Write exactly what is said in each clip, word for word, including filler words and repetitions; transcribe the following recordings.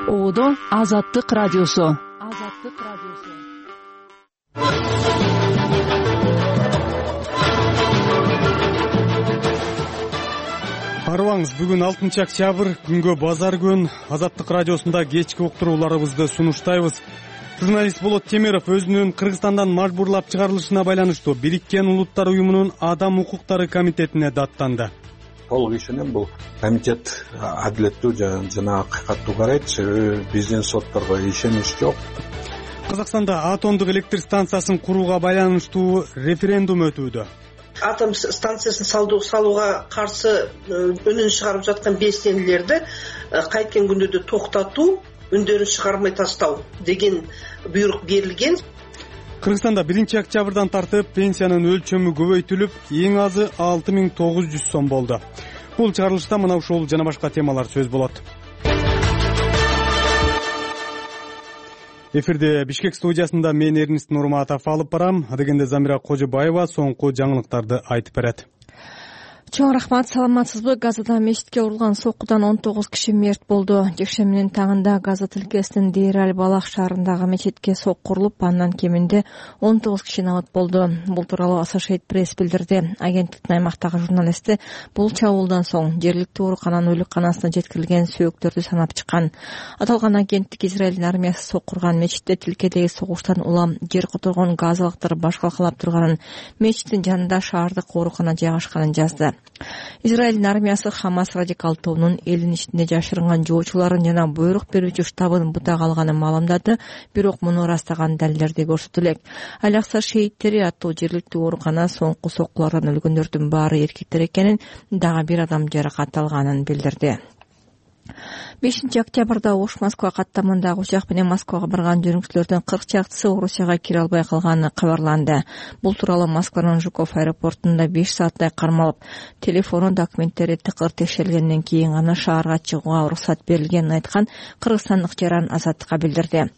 Оодо Азаттык радиосу. Азаттык радиосу. Арыбаңыз, бүгүн алтынчы октябрь, күнгө базар күн. Азаттык радиосунда кечки уктурууларыбызды сунуштайбыз. Журналист Болот Темиров өзүнүн Кыргызстандан мажбурлап чыгарылышына байланыштуу Бириккен Улуттар уюмунун Адам укуктары комитетине даттанды. Толук ишенем, бул комитет адилеттүү жана акыйкаттуу карайт. Себеби биздин сотторго ишенич жок. Казакстанда атомдук электр станциясын курууга байланыштуу референдум өтүүдө. Атом станциясын салууга каршы үнүн чыгарып жаткан белсендилерди кайткен күндөрдө токтотуу, үндөрүн чыгармай тастоо деген буйрук берилген. Кыргызстанда биринчи октябрдан тартып пенсиянын өлчөмү көбөйтүлүп, эң азы алты миң тогуз жүз сом болду. Бул чыгарылышта мына ушул жана башка темалар сөз болот. Эфирде Бишкек студиясында мен Эрнест Нурматов алып барам. Адегенде Замира Кожобаева соңку жаңылыктарды айтып берет. Чоң рахмат, саламатсызбы? Газада мечитке урулган соккудан он тогуз киши мерт болду. Жекшембинин таңында Газа тилкесинин Дейр-аль-Балах шаарындагы мечитке сок курулуп, андан кеминде он тогуз киши набат болду. Бул тууралуу Associated Press билдирди. Агенттиктин аймактагы журналисти бул чабуулдан соң жергиликтүү оорукананын өлүкканасына жеткирилген сөөктөрдү санап чыккан. Аталган агенттик Израилдин армиясы сок курган мечитте тилкедеги согуштан улам жер которгон газалыктар баш калкалап турганын, мечиттин жанында шаардык оорукана жайгашканын жазды. Израилдин армиясы Хамас радикал тобунун элдин ичинде жашырынган жоочуларын жана буйрук берүүчү штабын бутак алганын маалымдады, бирок муну ырастаган далилдерди көрсөтө элек. Алякса шейиттери аттуу жергиликтүү оорукана соңку соккулардан өлгөндөрдүн баары эркектер экенин, дагы бир адам жаракат алганын билдирди. бешинчи октябрда Ош-Москва каттамындагы учак менен Москвага барган жүргүнчүлөрдүн кырк чактысы Орусияга кире албай калганы кабарланды. Бул тууралуу Москванын Жуков аэропортунда беш сааттай кармалып, телефону, документтери тыкыр текшерилгенден кийин гана шаарга чыгууга уруксат берилгенин айткан кыргызстандык жаран Азаттыкка билдирди.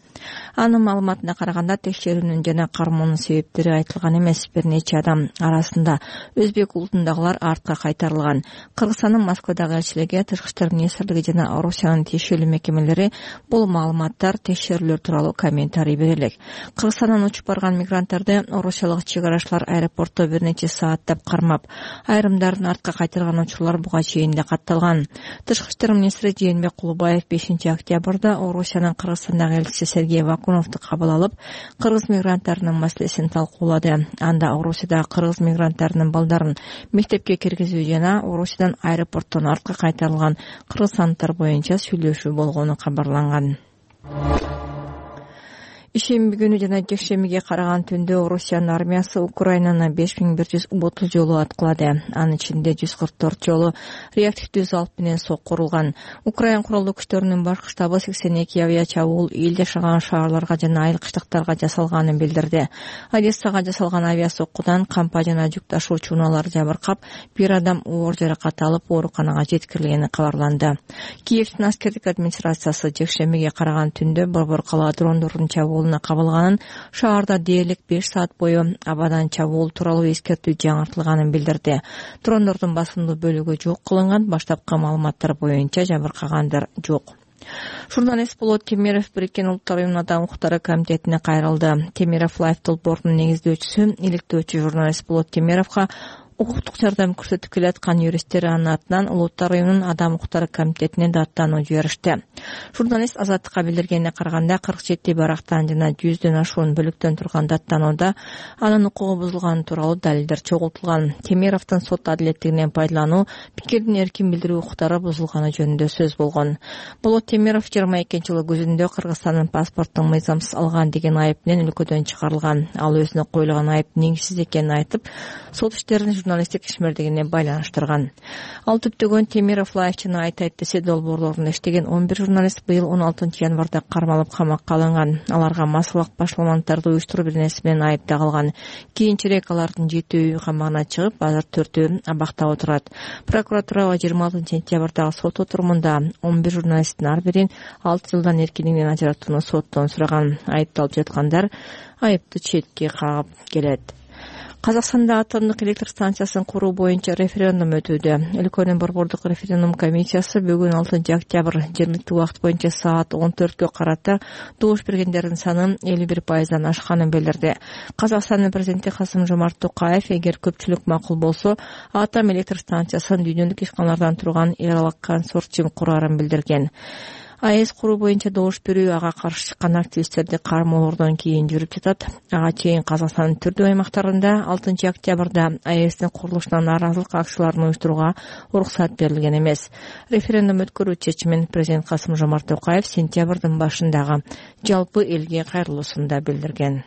Анын маалыматына караганда, текшерүүнүн жана кармоонун себептери айтылган эмес. Бир нече адам арасында өзбек улутундагылар артка кайтарылган. Кыргызстандын Москвадагы элчилиги, Тышкы иштер министрлиги жана Орусиянын тиешелүү мекемелери бул маалыматтар, текшерүүлөр тууралуу комментарий бере элек. Кыргызстандан учуп барган мигранттарды орусиялык чек карашчылар аэропортто бир нече сааттап кармап, айрымдарын артка кайтарган учурлар буга чейин да катталган. Тышкы иштер министри Жээнбек Кулубаев бешинчи октябрда Орусиянын Кыргызстандагы элчиси Сергей Вакуновду кабыл алып, кыргыз мигранттарынын маселесин талкуулады. Анда Орусияда кыргыз мигранттарынын балдарын мектепке киргизүү жана Орусиядан аэропорттон артка кайтарылган кыргызстандыктар боюнча сүйлөшүү болгону кабарланган. Ишемби күнү жана жекшембиге караган түндө Орусиянын армиясы Украинаны беш миң бир жүз отуз жолу аткылады. Анын ичинде жүз кырк төрт жолу реактивдүү залп менен сок курулган. Украин куралдуу күчтөрүнүн башкы штабы сексен эки авиа чабуул эл жашаган шаарларга жана айыл-кыштактарга жасалганын билдирди. Одессага жасалган авиа соккудан кампа жана жүк ташуучу унаалар жабыркап, бир адам оор жаракат алып ооруканага жеткирилгени кабарланды. Киевдин аскердик администрациясы жекшембиге караган түндө борбор кала дрондордун чабуул кабылганын, шаарда дээрлик беш саат бою абадан чабуул тууралуу эскертүү жаңыртылганын билдирди. Дрондордун басымдуу бөлүгү жок кылынган, баштапкы маалыматтар боюнча жабыркагандар жок. Журналист Болот Темиров Бириккен Улуттар уюмунун Адам укуктары комитетине кайрылды. Темиров Лайф долбоорунун негиздөөчүсү, иликтөөчү журналист Болот Темировго укуктук жардам көрсөтүп келаткан юристтер анын атынан Улуттар уюмунун Адам укуктары комитетине даттануу жиберишти. Журналист Азаттыкка билдиргенине караганда, кырк жети барактан жана жүздөн ашуун бөлүктөн турган даттанууда анын укугу бузулганы тууралуу далилдер чогултулган. Темировдун сот адилеттигинен пайдалануу, пикирдин эркин билдирүү укуктары бузулганы жөнүндө сөз болгон. Болот Темиров жыйырма экинчи жылы күзүндө Кыргызстандын паспортун мыйзамсыз алган деген айып менен өлкөдөн чыгарылган. Ал өзүнө коюлган айып негизсиз экенин айтып, сот иштерин журналисттик ишмердигине байланыштырган. Ал түптөгөн Темиров Лайф жана Айтайт десе долбоорлорунда иштеген он бир журналист быйыл он алтынчы январда кармалып камакка алынган. Аларга массалык башаламанттарды уюштуруу беренеси менен айып тагылган. Кийинчерээк алардын жетөө үй камагына чыгып, азыр төртөө абакта отурат. Прокуратура жыйырма алтынчы сентябрдагы сот отурумунда он бир журналисттин ар бирин алты жылдан эркиндигинен ажыратууну соттон сураган. Айыпталып жаткандар айыпты четке кагып келет. Казакстанда атомдук электр станциясын куруу боюнча референдум өтүүдө. Өлкөнүн борбордук референдум комиссиясы бүгүн алтынчы октябрь жергиликтүү убакыт боюнча саат он төрткө карата добуш бергендердин саны элүү бир пайыздан ашканын билдирди. Казакстандын президенти Касым-Жомарт Токаев эгер көпчүлүк макул болсо, атом электр станциясын дүйнөлүк ишканалардан турган эл аралык консорциум курарын билдирген. АЭС куруу боюнча добуш берүү ага каршы чыккан активисттерди кармоолордон кийин жүрүп жатат. Ага чейин Казакстандын түрдүү аймактарында алтынчы октябрда АЭСтин курулушуна нааразылык акцияларын уюштурууга уруксат берилген эмес. Референдум өткөрүү чечимин президент Касым-Жомарт Токаев сентябрдын башындагы жалпы элге кайрылуусунда билдирген.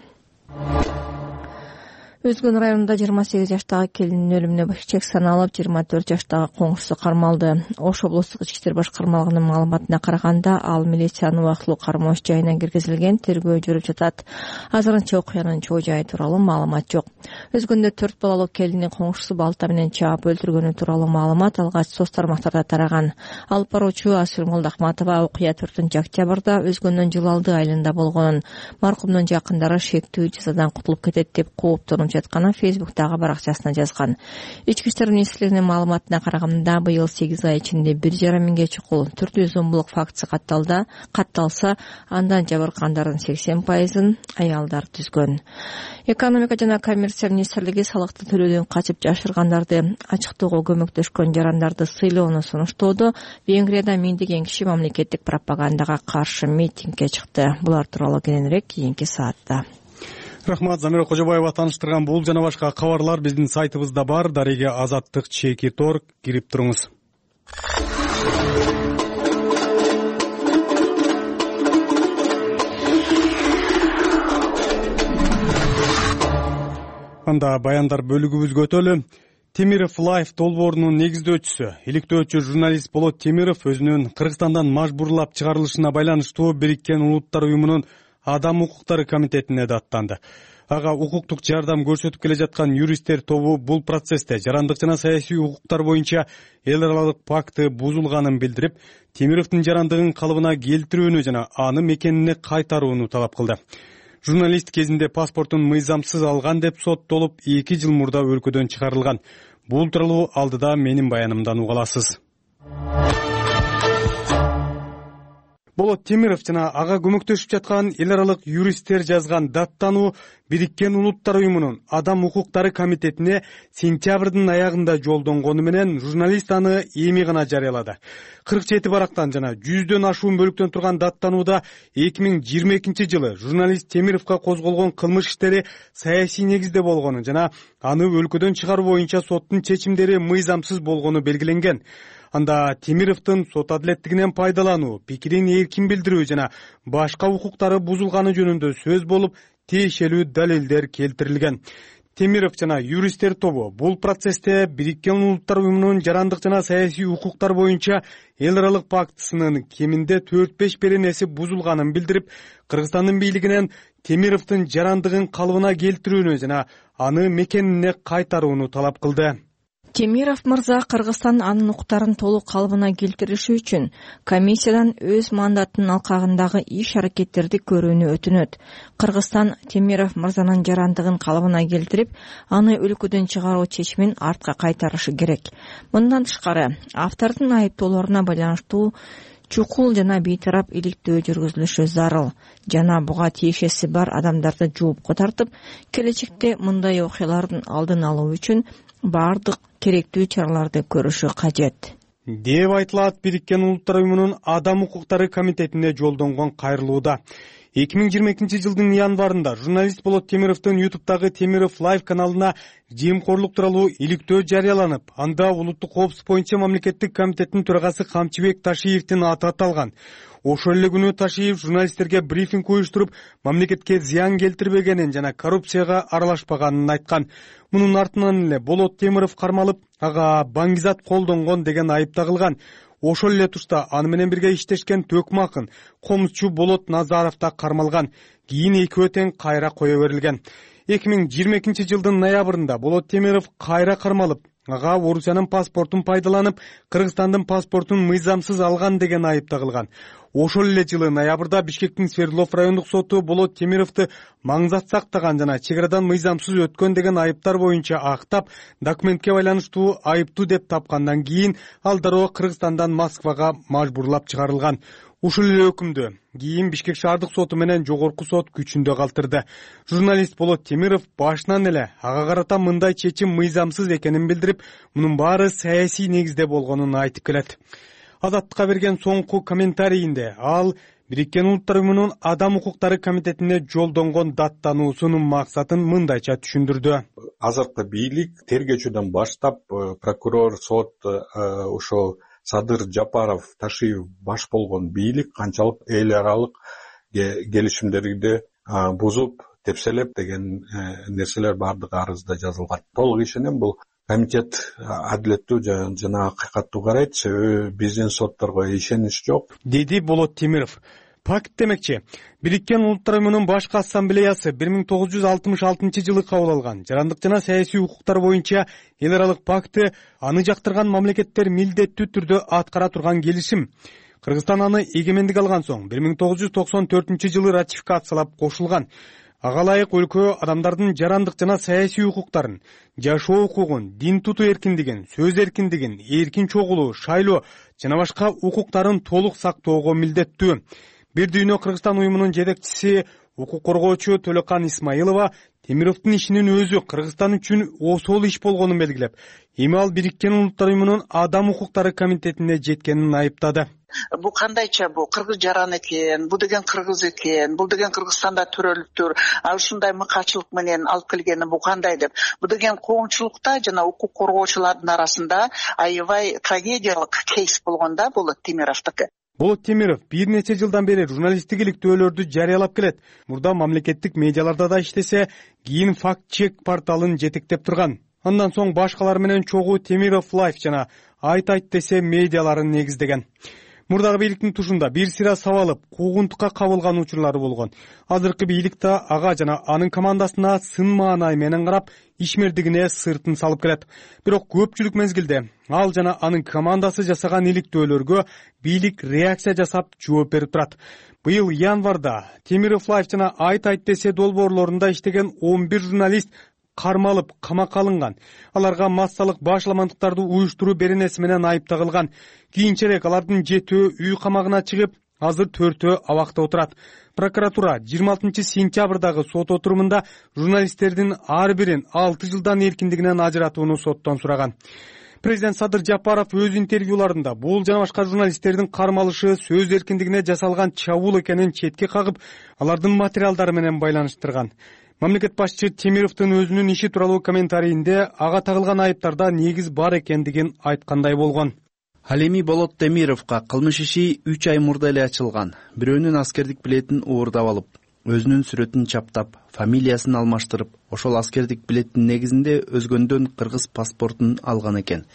Өзгөн районунда жыйырма сегиз жаштагы келиндин өлүмүнө чек саналып, жыйырма төрт жаштагы коңшусу кармалды. Ош облустук ички иштер башкармалыгынын маалыматына караганда, ал милициянын убактылуу кармоош жайына киргизилген, тергөө жүрүп жатат. Азырынча окуянын чоо жайы тууралуу маалымат жок. Өзгөндө төрт балалуу келиндин коңшусу балта менен чаап өлтүргөнү тууралуу маалымат алгач соц тармактарда тараган. Алып баруучу Асыл Молдохматова окуя төртүнчү октябрда Өзгөндүн Жылалды айылында болгонун, маркумдун жакындары шектүү жазадан кутулуп кетет деп кооптонуп жатканын Фейсбуктагы баракчасына жазган. Ички иштер министрлигинин маалыматына караганда, быйыл сегиз ай ичинде бир жарым миңге чукул түрдүү зомбулук фактысы катталды. Катталса, андан жабыркандардын сексен пайызын аялдар түзгөн. Экономика жана коммерция министрлиги салыкты төлөөдөн качып жашыргандарды ачыктоого көмөктөшкөн жарандарды сыйлоону сунуштоодо. Венгрияда миңдеген киши мамлекеттик пропагандага каршы митингге чыкты. Булар тууралуу кийинирээк кийинки саатта. Рахмат, Замира Кожобаева тааныштырган бул жана башка кабарлар биздин сайтыбызда бар. Дареге Азаттык чеки тор кирип туруңуз. Анда баяндар бөлүгүбүзгө өтөлү. Темиров Лайф долбоорунун негиздөөчүсү, иликтөөчү журналист Болот Темиров өзүнүн Кыргызстандан мажбурлап чыгарылышына байланыштуу Бириккен Улуттар уюмунун Адам укуктары комитетине даттанды. Ага укуктук жардам көрсөтүп келе жаткан юристтер тобу бул процессте жарандык жана саясий укуктар боюнча эл аралык пакты бузулганын билдирип, Темировдун жарандыгын калыбына келтирүүнү жана аны мекенине кайтарууну талап кылды. Журналист кезинде паспортун мыйзамсыз алган деп соттолуп, эки жыл мурда өлкөдөн чыгарылган. Бул тууралуу алдыда менин баянымдан уга аласыз. Болот Темиров жана ага көмөктөшүп жаткан эл аралык юристтер жазган даттануу Бириккен Улуттар уюмунун Адам укуктары комитетине сентябрдын аягында жолдонгону менен журналист аны эми гана жарыялады. кырк жети барактан жана жүздөн ашуун бөлүктөн турган даттанууда эки миң жыйырма экинчи жылы журналист Темировго козголгон кылмыш иштери саясий негизде болгону жана аны өлкөдөн чыгаруу боюнча соттун чечимдери мыйзамсыз болгону белгиленген. Анда Темировдун сот адилеттигинен пайдалануу, пикирин эркин билдирүү жана башка укуктары бузулганы жөнүндө сөз болуп, тиешелүү далилдер келтирилген. Темиров жана юристтер тобу бул процессте Бириккен Улуттар уюмунун жарандык жана саясий укуктар боюнча эл аралык пактысынын кеминде төрт беш беренеси бузулганын билдирип, Кыргызстандын бийлигинен Темировдун жарандыгын калыбына келтирүүнү жана аны мекенине кайтарууну талап кылды. Темиров мырза Кыргызстан анын укуктарын толук калыбына келтириши үчүн комиссиядан өз мандатынын алкагындагы иш-аракеттерди көрүүнү өтүнөт. Кыргызстан Темиров мырзанын жарандыгын калыбына келтирип, аны өлкөдөн чыгаруу чечимин артка кайтарышы керек. Мындан тышкары, автордун айыптоолоруна байланыштуу чукул жана бейтарап иликтөө жүргүзүлүшү зарыл жана буга тиешеси бар адамдарды жоопко тартып, келечекте мындай окуялардын алдын алуу үчүн бардык керектүү чараларды көрүшү кажет деп айтылат Бириккен Улуттар уюмунун Адам укуктары комитетине жолдонгон кайрылууда. эки миң жыйырма экинчи жылдын январында журналист Болот Темировдун ютубтагы Темиров Лайф каналына жемкорлук тууралуу иликтөө жарыяланып, анда улуттук коопсуздук боюнча мамлекеттик комитеттин төрагасы Камчыбек Ташиевдин аты аталган. Ошол эле күнү Ташиев журналисттерге брифинг уюштуруп, мамлекетке зыян келтирбегенин жана коррупцияга аралашпаганын айткан. Мунун артынан эле Болот Темиров кармалып, ага баңгизат колдонгон деген айып тагылган. Ошол эле тушта аны менен бирге иштешкен Төкмакын, комузчу Болот Назаров да кармалган. Кийин экөө тең кайра кое берилген. эки миң жыйырма экинчи жылдын ноябрында Болот Темиров кайра кармалып, ага Орусиянын паспортун пайдаланып, Кыргызстандын паспортун мыйзамсыз алган деген айып тагылган. ошол эле жылы ноябрда Бишкектин Свердлов райондук соту Болот Темировду маңзат сактаган жана чек арадан мыйзамсыз өткөн деген айыптар боюнча актап, документке байланыштуу айыптуу деп тапкандан кийин ал дароо Кыргызстандан Москвага мажбурлап чыгарылган. Ушул эле өкүмдү кийин Бишкек шаардык соту менен жогорку сот күчүндө калтырды. Журналист Болот Темиров башынан эле ага карата мындай чечим мыйзамсыз экенин билдирип, мунун баары саясий негизде болгонун айтып келет. Азаттыкка берген соңку комментарийинде ал Бириккен Улуттар Уюмунун Адам укуктары комитетине жолдонгон даттануусунун максатын мындайча түшүндүрдү. Азыркы бийлик тергөөчүдөн баштап прокурор, сот, ошол Садыр Жапаров, Ташиев баш болгон бийлик канчалык эл аралык келишимдерди бузуп, тепселеп деген нерселер баардыгы арызда жазылган. Толук ишенем, бул комитет адилеттүү жана акыйкаттуу карайт, себеби биздин сотторго ишенич жок, деди Болот Темиров. Пакт демекчи, Бириккен Улуттар Уюмунун башкы ассамблеясы бир миң тогуз жүз алтымыш алтынчы жылы кабыл алган жарандык жана саясий укуктар боюнча эл аралык пакты аны жактырган мамлекеттер милдеттүү түрдө аткара турган келишим. Кыргызстан аны эгемендик алган соң бир миң тогуз жүз токсон төртүнчү жылы ратификациялап кошулган. Ага ылайык өлкө адамдардын жарандык жана саясий укуктарын, жашоо укугун, дин тутуу эркиндигин, сөз эркиндигин, эркин чогулуу, шайлоо жана башка укуктарын толук сактоого милдеттүү. Бир дүйнө Кыргызстан уюмунун жетекчиси укук коргоочу Төлөкан Исмаилова Темировдун ишинин өзү Кыргызстан үчүн осол иш болгонун белгилеп, эми ал Бириккен Улуттар Уюмунун Адам укуктары комитетине жеткенин айыптады. Бул кандайча, бул кыргыз жаран экен, бул деген кыргыз экен, бул деген Кыргызстанда төрөлүптүр, ал ушундай мыкачылык менен алып келгени бул кандай деп. Бул деген коомчулукта жана укук коргоочулардын арасында аябай трагедиялык кейс болгон да, бул Темировдуку. Болот Темиров бир нече жылдан бери журналисттик иликтөөлөрдү жарыялап келет. Мурда мамлекеттик медиаларда да иштесе, кийин факт-чек порталын жетектеп турган. Андан соң башкалар менен чогуу Темиров Лайф жана Айт айт десе медиаларын негиздеген. Мурдагы бийликтин тушунда бир сыйра сабалып, куугунтукка кабылган учурлары болгон. Азыркы бийлик да ага жана анын командасына сын маанай менен карап, ишмердигине сыртын салып келет. Бирок көпчүлүк мезгилде ал жана анын командасы жасаган иликтөөлөргө бийлик реакция жасап жооп берип турат. Быйыл январда Темиров Лайф жана Айт айт десе долбоорлорунда иштеген он бир журналист кармалып, камакка алынган. Аларга массалык башаламандыктарды уюштуруу беренеси менен айып тагылган. Кийинчерээк алардын жетөө үй камагына чыгып, азыр төртөө абакта отурат. Прокуратура жыйырма алтынчы сентябрдагы сот отурумунда журналисттердин ар бирин алты жылдан эркиндигинен ажыратууну соттон сураган. Президент Садыр Жапаров өз интервьюларында бул жана башка журналисттердин кармалышы сөз эркиндигине жасалган чабуул экенин четке кагып, алардын материалдары менен байланыштырган. Мамлекет башчы Темировдун өзүнүн иши тууралуу комментарийинде ага тагылган айыптарда негиз бар экендигин айткандай болгон. Ал эми Болот Темировго кылмыш иши үч ай мурда эле ачылган. Бирөөнүн аскердик билетин уурдап алып, өзүнүн сүрөтүн чаптап, фамилиясын алмаштырып, ошол аскердик билеттин негизинде өзгөндөн кыргыз паспортун алган экен.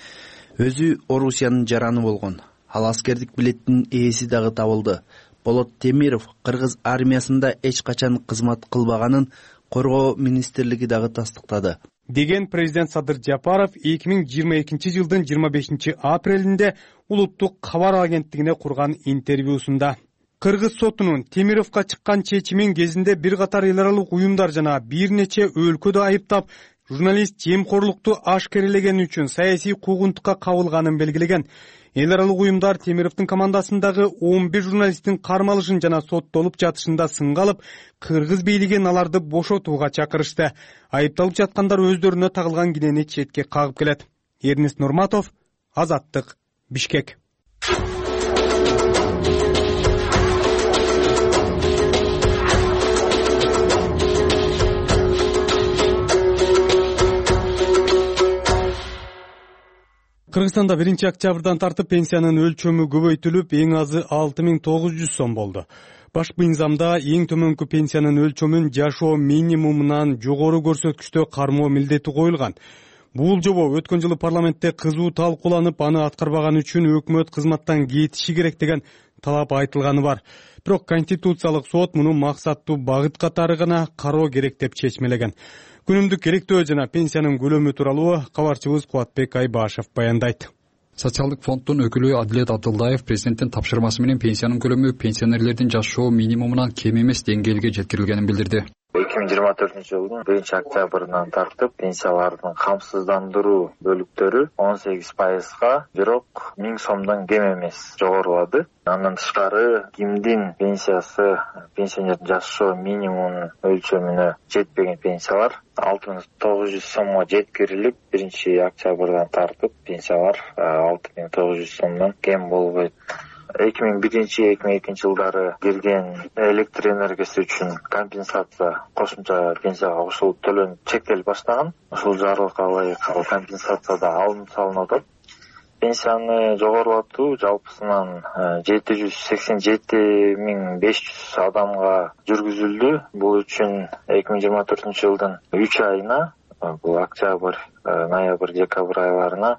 Өзү Орусиянын жараны болгон. Ал аскердик билеттин ээси дагы табылды. Болот Темиров кыргыз армиясында эч качан кызмат кылбаганын Коргоо министрлиги дагы тастыктады, деген президент Садыр Жапаров эки миң жыйырма экинчи жылдын жыйырма бешинчи апрелинде улуттук кабар агенттигине курган интервьюсунда. Кыргыз сотунун Темировго чыккан чечимин кезинде бир катар эл аралык уюмдар жана бир нече өлкөдө айыптап, журналист жемкорлукту ашкерелегени үчүн саясий куугунтукка кабылганын белгилеген. Эл аралык уюмдар Темировдун командасындагы он бир журналисттин кармалышын жана соттолуп жатышында сынга алып, кыргыз бийлигин аларды бошотууга чакырышты. Айыпталып жаткандар өздөрүнө тагылган кинени четке кагып келет. Эрнест Нурматов, Азаттык, Бишкек. Кыргызстанда биринчи октябрдан тартып пенсиянын өлчөмү көбөйтүлүп, эң азы алты миң тогуз жүз сом болду. Башкы мыйзамда эң төмөнкү пенсиянын өлчөмүн жашоо минимумунан жогору көрсөткүчтө кармоо милдети коюлган. Бул жобо өткөн жылы парламентте кызуу талкууланып, аны аткарбаган үчүн өкмөт кызматтан кетиши керек деген талап айтылганы бар. Бирок Конституциялык сот муну максаттуу багыт катары гана кароо керек деп чечмелеген. Күнүмдүк электөө жана пенсиянын көлөмү тууралуу кабарчыбыз Кубатбек Айбашев баяндайт. Социалдык фонддун өкүлү Адилет Абдылдаев президенттин тапшырмасы менен пенсиянын көлөмү пенсионерлердин жашоо минимумунан кем эмес деңгээлге жеткирилгенин билдирди. эки миң жыйырма төртүнчү жылдын биринчи октябрынан тартып пенсиялардын камсыздандыруу бөлүктөрү он сегиз пайызга, бирок миң сомдон кем эмес жогорулады. Андан тышкары кимдин пенсиясы пенсионердин жашоо минимумунун өлчөмүнө жетпеген пенсиялар алты миң тогуз жүз сомго жеткирилип, биринчи октябрдан тартып пенсиялар алты миң тогуз жүз сомдон кем болбойт. эки миң биринчи эки миң экинчи жылдары кирген электр энергиясы үчүн компенсация кошумча пенсияга кошулуп төлөнүп чектелип баштаган. Ушул жарлыкка ылайык ал компенсация да алынып салынып атат. Пенсияны жогорулатуу жалпысынан жети жүз сексен жети миң беш жүз адамга жүргүзүлдү. Бул үчүн эки миң жыйырма төртүнчү жылдын үч айына, бул октябрь, ноябрь, декабрь айларына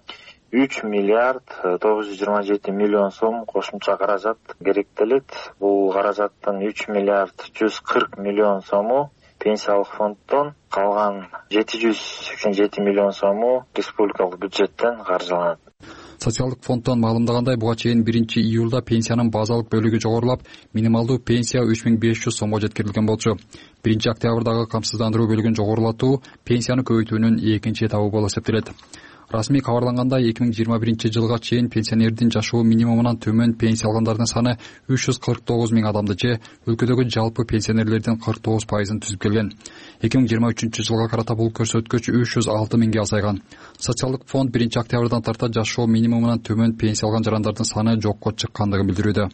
үч миллиард тогуз жүз жыйырма жети миллион сом кошумча каражат керектелет. Бул каражаттын үч миллиард жүз кырк миллион сому пенсиялык фонддон, калган жети жүз сексен жети миллион сому республикалык бюджеттен каржыланат. Социалдык фонддон маалымдагандай, буга чейин биринчи июлда пенсиянын базалык бөлүгү жогорулап, минималдуу пенсия үч миң беш жүз сомго жеткирилген болчу. биринчи октябрдагы камсыздандыруу бөлүгүн жогорулатуу пенсияны көбөйтүүнүн экинчи этабы болуп эсептелет. Расмий кабарлангандай, эки миң жыйырма биринчи жылга чейин пенсионердин жашоо минимумунан төмөн пенсия алгандардын саны үч жүз кырк тогуз миң адамды же өлкөдөгү жалпы пенсионерлердин кырк тогуз пайызын түзүп келген. эки миң жыйырма үчүнчү жылга карата бул көрсөткүч үч жүз алты миңге азайган. Социалдык фонд биринчи октябрдан тарта жашоо минимумунан төмөн пенсия алган жарандардын саны жокко чыккандыгын билдирүүдө.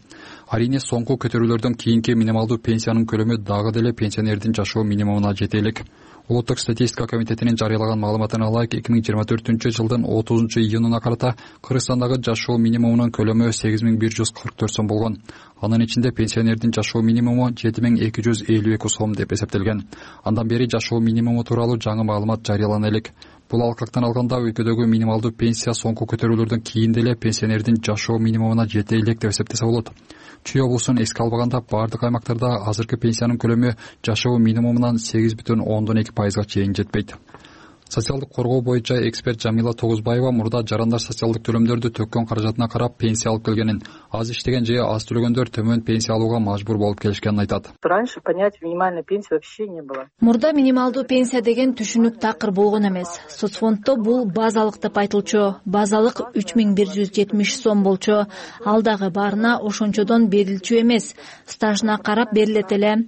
Арийне соңку көтөрүүлөрдөн кийинки минималдуу пенсиянын көлөмү дагы деле пенсионердин жашоо минимумуна жете элек. Улуттук статистика комитетинин жарыялаган маалыматына ылайык, эки миң жыйырма төртүнчү жылдын отузунчу июнуна карата Кыргызстандагы жашоо минимумунун көлөмү сегиз миң бир жүз кырк төрт сом болгон. Анын ичинде пенсионердин жашоо минимуму жети миң эки жүз элүү эки сом деп эсептелген. Андан бери жашоо минимуму тууралуу жаңы маалымат жарыялана элек. Бул алкактан алганда өлкөдөгү минималдуу пенсия соңку көтөрүүлөрдөн кийин деле пенсионердин жашоо минимумуна жете элек деп эсептесе болот. Чүй облусун эске албаганда бардык аймактарда азыркы пенсиянын көлөмү жашоо минимумунан сегиз бүтүн ондон эки пайызга чейин жетпейт. Социалдык коргоо боюнча эксперт Жамила Тогузбаева мурда жарандар социалдык төлөмдөрдү төккөн каражатына карап пенсия алып келгенин, аз иштеген же аз төлөгөндөр төмөн пенсия алууга мажбур болуп келишкенин айтат. Раньше понятия минимальной пенсии вообще не было. Мурда минималдуу пенсия деген түшүнүк такыр болгон эмес. Соцфонддо бул базалык деп айтылчу. Базалык үч миң бир жүз жетимиш сом болчу. Ал дагы баарына ошончодон берилчү эмес. Стажына карап берилет эле.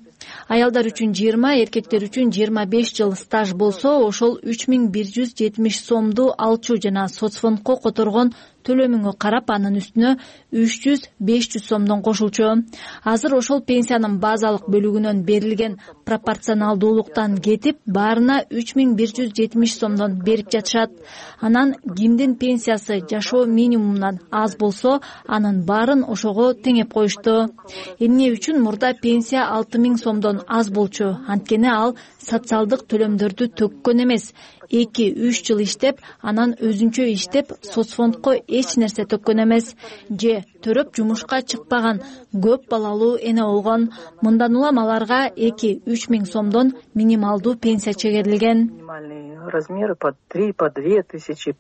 Аялдар үчүн жыйырма, эркектер үчүн жыйырма беш жыл стаж болсо, ошол үч миң бир жүз жетимиш сомду алчу жана соцфондко которгон төлөмүңө карап анын үстүнө үч жүз беш жүз сомдон кошулчу. Азыр ошол пенсиянын базалык бөлүгүнөн берилген пропорционалдуулуктан кетип, баарына үч миң бир жүз жетимиш сомдон берип жатышат. Анан кимдин пенсиясы жашоо минимумунан аз болсо, анын баарын ошого теңеп коюшту. Эмне үчүн мурда пенсия алты миң сомдон аз болчу? Анткени ал социалдык төлөмдөрдү төккөн эмес. эки үч жыл иштеп, анан өзүнчө иштеп, соцфондко эч нерсе төккөн эмес. Же төрөп жумушка чыкпаган көп балалуу эне болгон. Мындан улам аларга эки үч миң сомдон минималдуу пенсия чегерилген. Размеры по три, по две тысячи.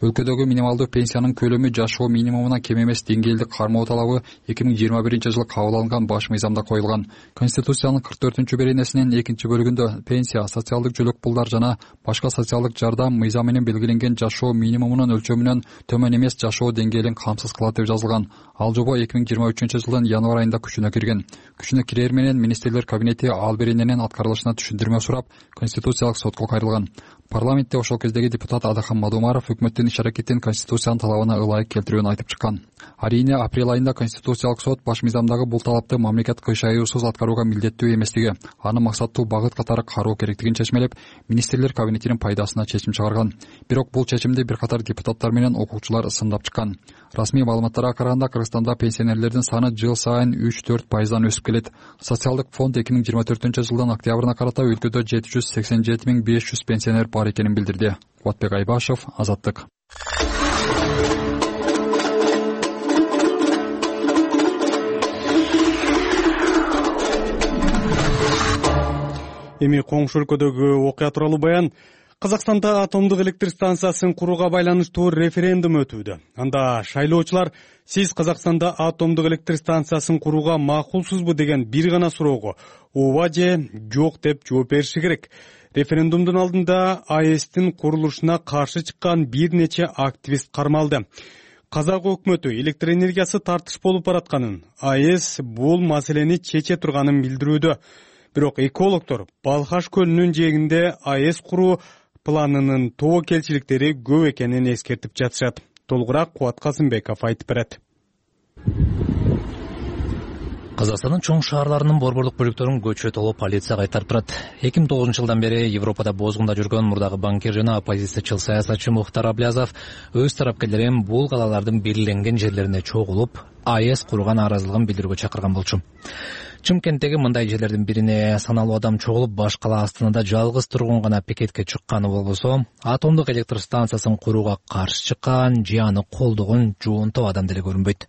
Өлкөдөгү минималдуу пенсиянын көлөмү жашоо минимумуна кем эмес деңгээлди кармоо талабы эки миң жыйырма биринчи жылы кабыл алынган баш мыйзамда коюлган. Конституциянын кырк төртүнчү беренесинин экинчи бөлүгүндө пенсия, социалдык жөлөк пулдар жана башка социалдык жардам мыйзам менен белгиленген жашоо минимумунун өлчөмүнөн төмөн эмес жашоо деңгээлин камсыз кылат деп жазылган. Ал жобо эки миң жыйырма үчүнчү жылдын январь айында күчүнө кирген. Күчүнө кирер менен министрлер кабинети ал берененин аткарылышына түшүндүрмө сурап, Конституциялык сотко кайрылган. Парламентте ошол кездеги депутат Адахан Мадумаров өкмөттүн иш-аракетин Конституциянын талабына ылайык келтирүүнү айтып чыккан. Арийне апрель айында Конституциялык сот баш мыйзамдагы бул талапты мамлекет кыйшаюусуз аткарууга милдеттүү эместиги, аны максаттуу багыт катары кароо керектигин чечмелеп, министрлер кабинетинин пайдасына чечим чыгарган. Бирок бул чечимди бир катар депутаттар менен окуучулар сындап чыккан. Расмий маалыматтарга караганда Кыргызстанда пенсионерлердин саны жыл сайын үч төрт пайыздан өсүп келет. Социалдык фонд эки миң жыйырма төртүнчү жылдын октябрына карата өлкөдө жети жүз сексен жети миң беш жүз пенсионер бар экенин билдирди. Кубатбек Айбашев, Азаттык. Эми коңшу өлкөдөгү окуя тууралуу баян. Казакстанда атомдук электр станциясын курууга байланыштуу референдум өтүүдө. Анда шайлоочулар сиз Казакстанда атомдук электр станциясын курууга макулсузбу деген бир гана суроого ооба же жок деп жооп бериши керек. Референдумдун алдында А Э Стин курулушуна каршы чыккан бир нече активист кармалды. Казак өкмөтү электр энергиясы тартыш болуп баратканын, А Э С бул маселени чече турганын билдирүүдө. Бирок экологдор Балхаш көлүнүн жээгинде А Э С куруу планынын тобокелчиликтери көп экенин эскертип жатышат. Толугураак Кубат Казымбеков айтып берет. Казакстандын чоң шаарларынын борборлук бөлүктөрүн көчө толуп полиция кайтарып турат. эки миң тогузунчу жылдан бери Европада бозгунда жүргөн мурдагы банкир жана оппозициячыл саясатчы Мухтар Аблязов өз тарапкерлерин бул калалардын белгиленген жерлерине чогулуп, А Э С курган нааразылыгын билдирүүгө чакырган болчу. Чымкенттеги мындай жерлердин бирине саналуу адам чогулуп, баш кала Астанада жалгыз тургун гана пикетке чыкканы болбосо, атомдук электр станциясын курууга каршы чыккан же аны колдогон жоонтоо адам деле көрүнбөйт.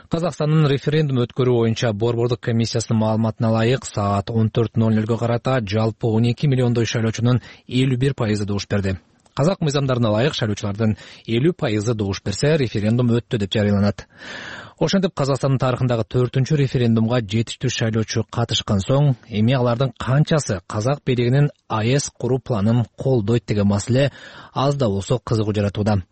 Казакстандын референдум өткөрүү боюнча борбордук комиссиясынын маалыматына ылайык, саат он төрт ноль нолго карата жалпы он эки миллиондой шайлоочунун элүү бир пайызы добуш берди. Казак мыйзамдарына ылайык шайлоочулардын элүү пайызы добуш берсе, референдум өттү деп жарыяланат. Ошентип Казакстандын тарыхындагы төртүнчү референдумга жетиштүү шайлоочу катышкан соң, эми алардын канчасы казак бийлигинин А Э С куруу планын колдойт деген маселе аз да болсо кызыгуу жаратууда.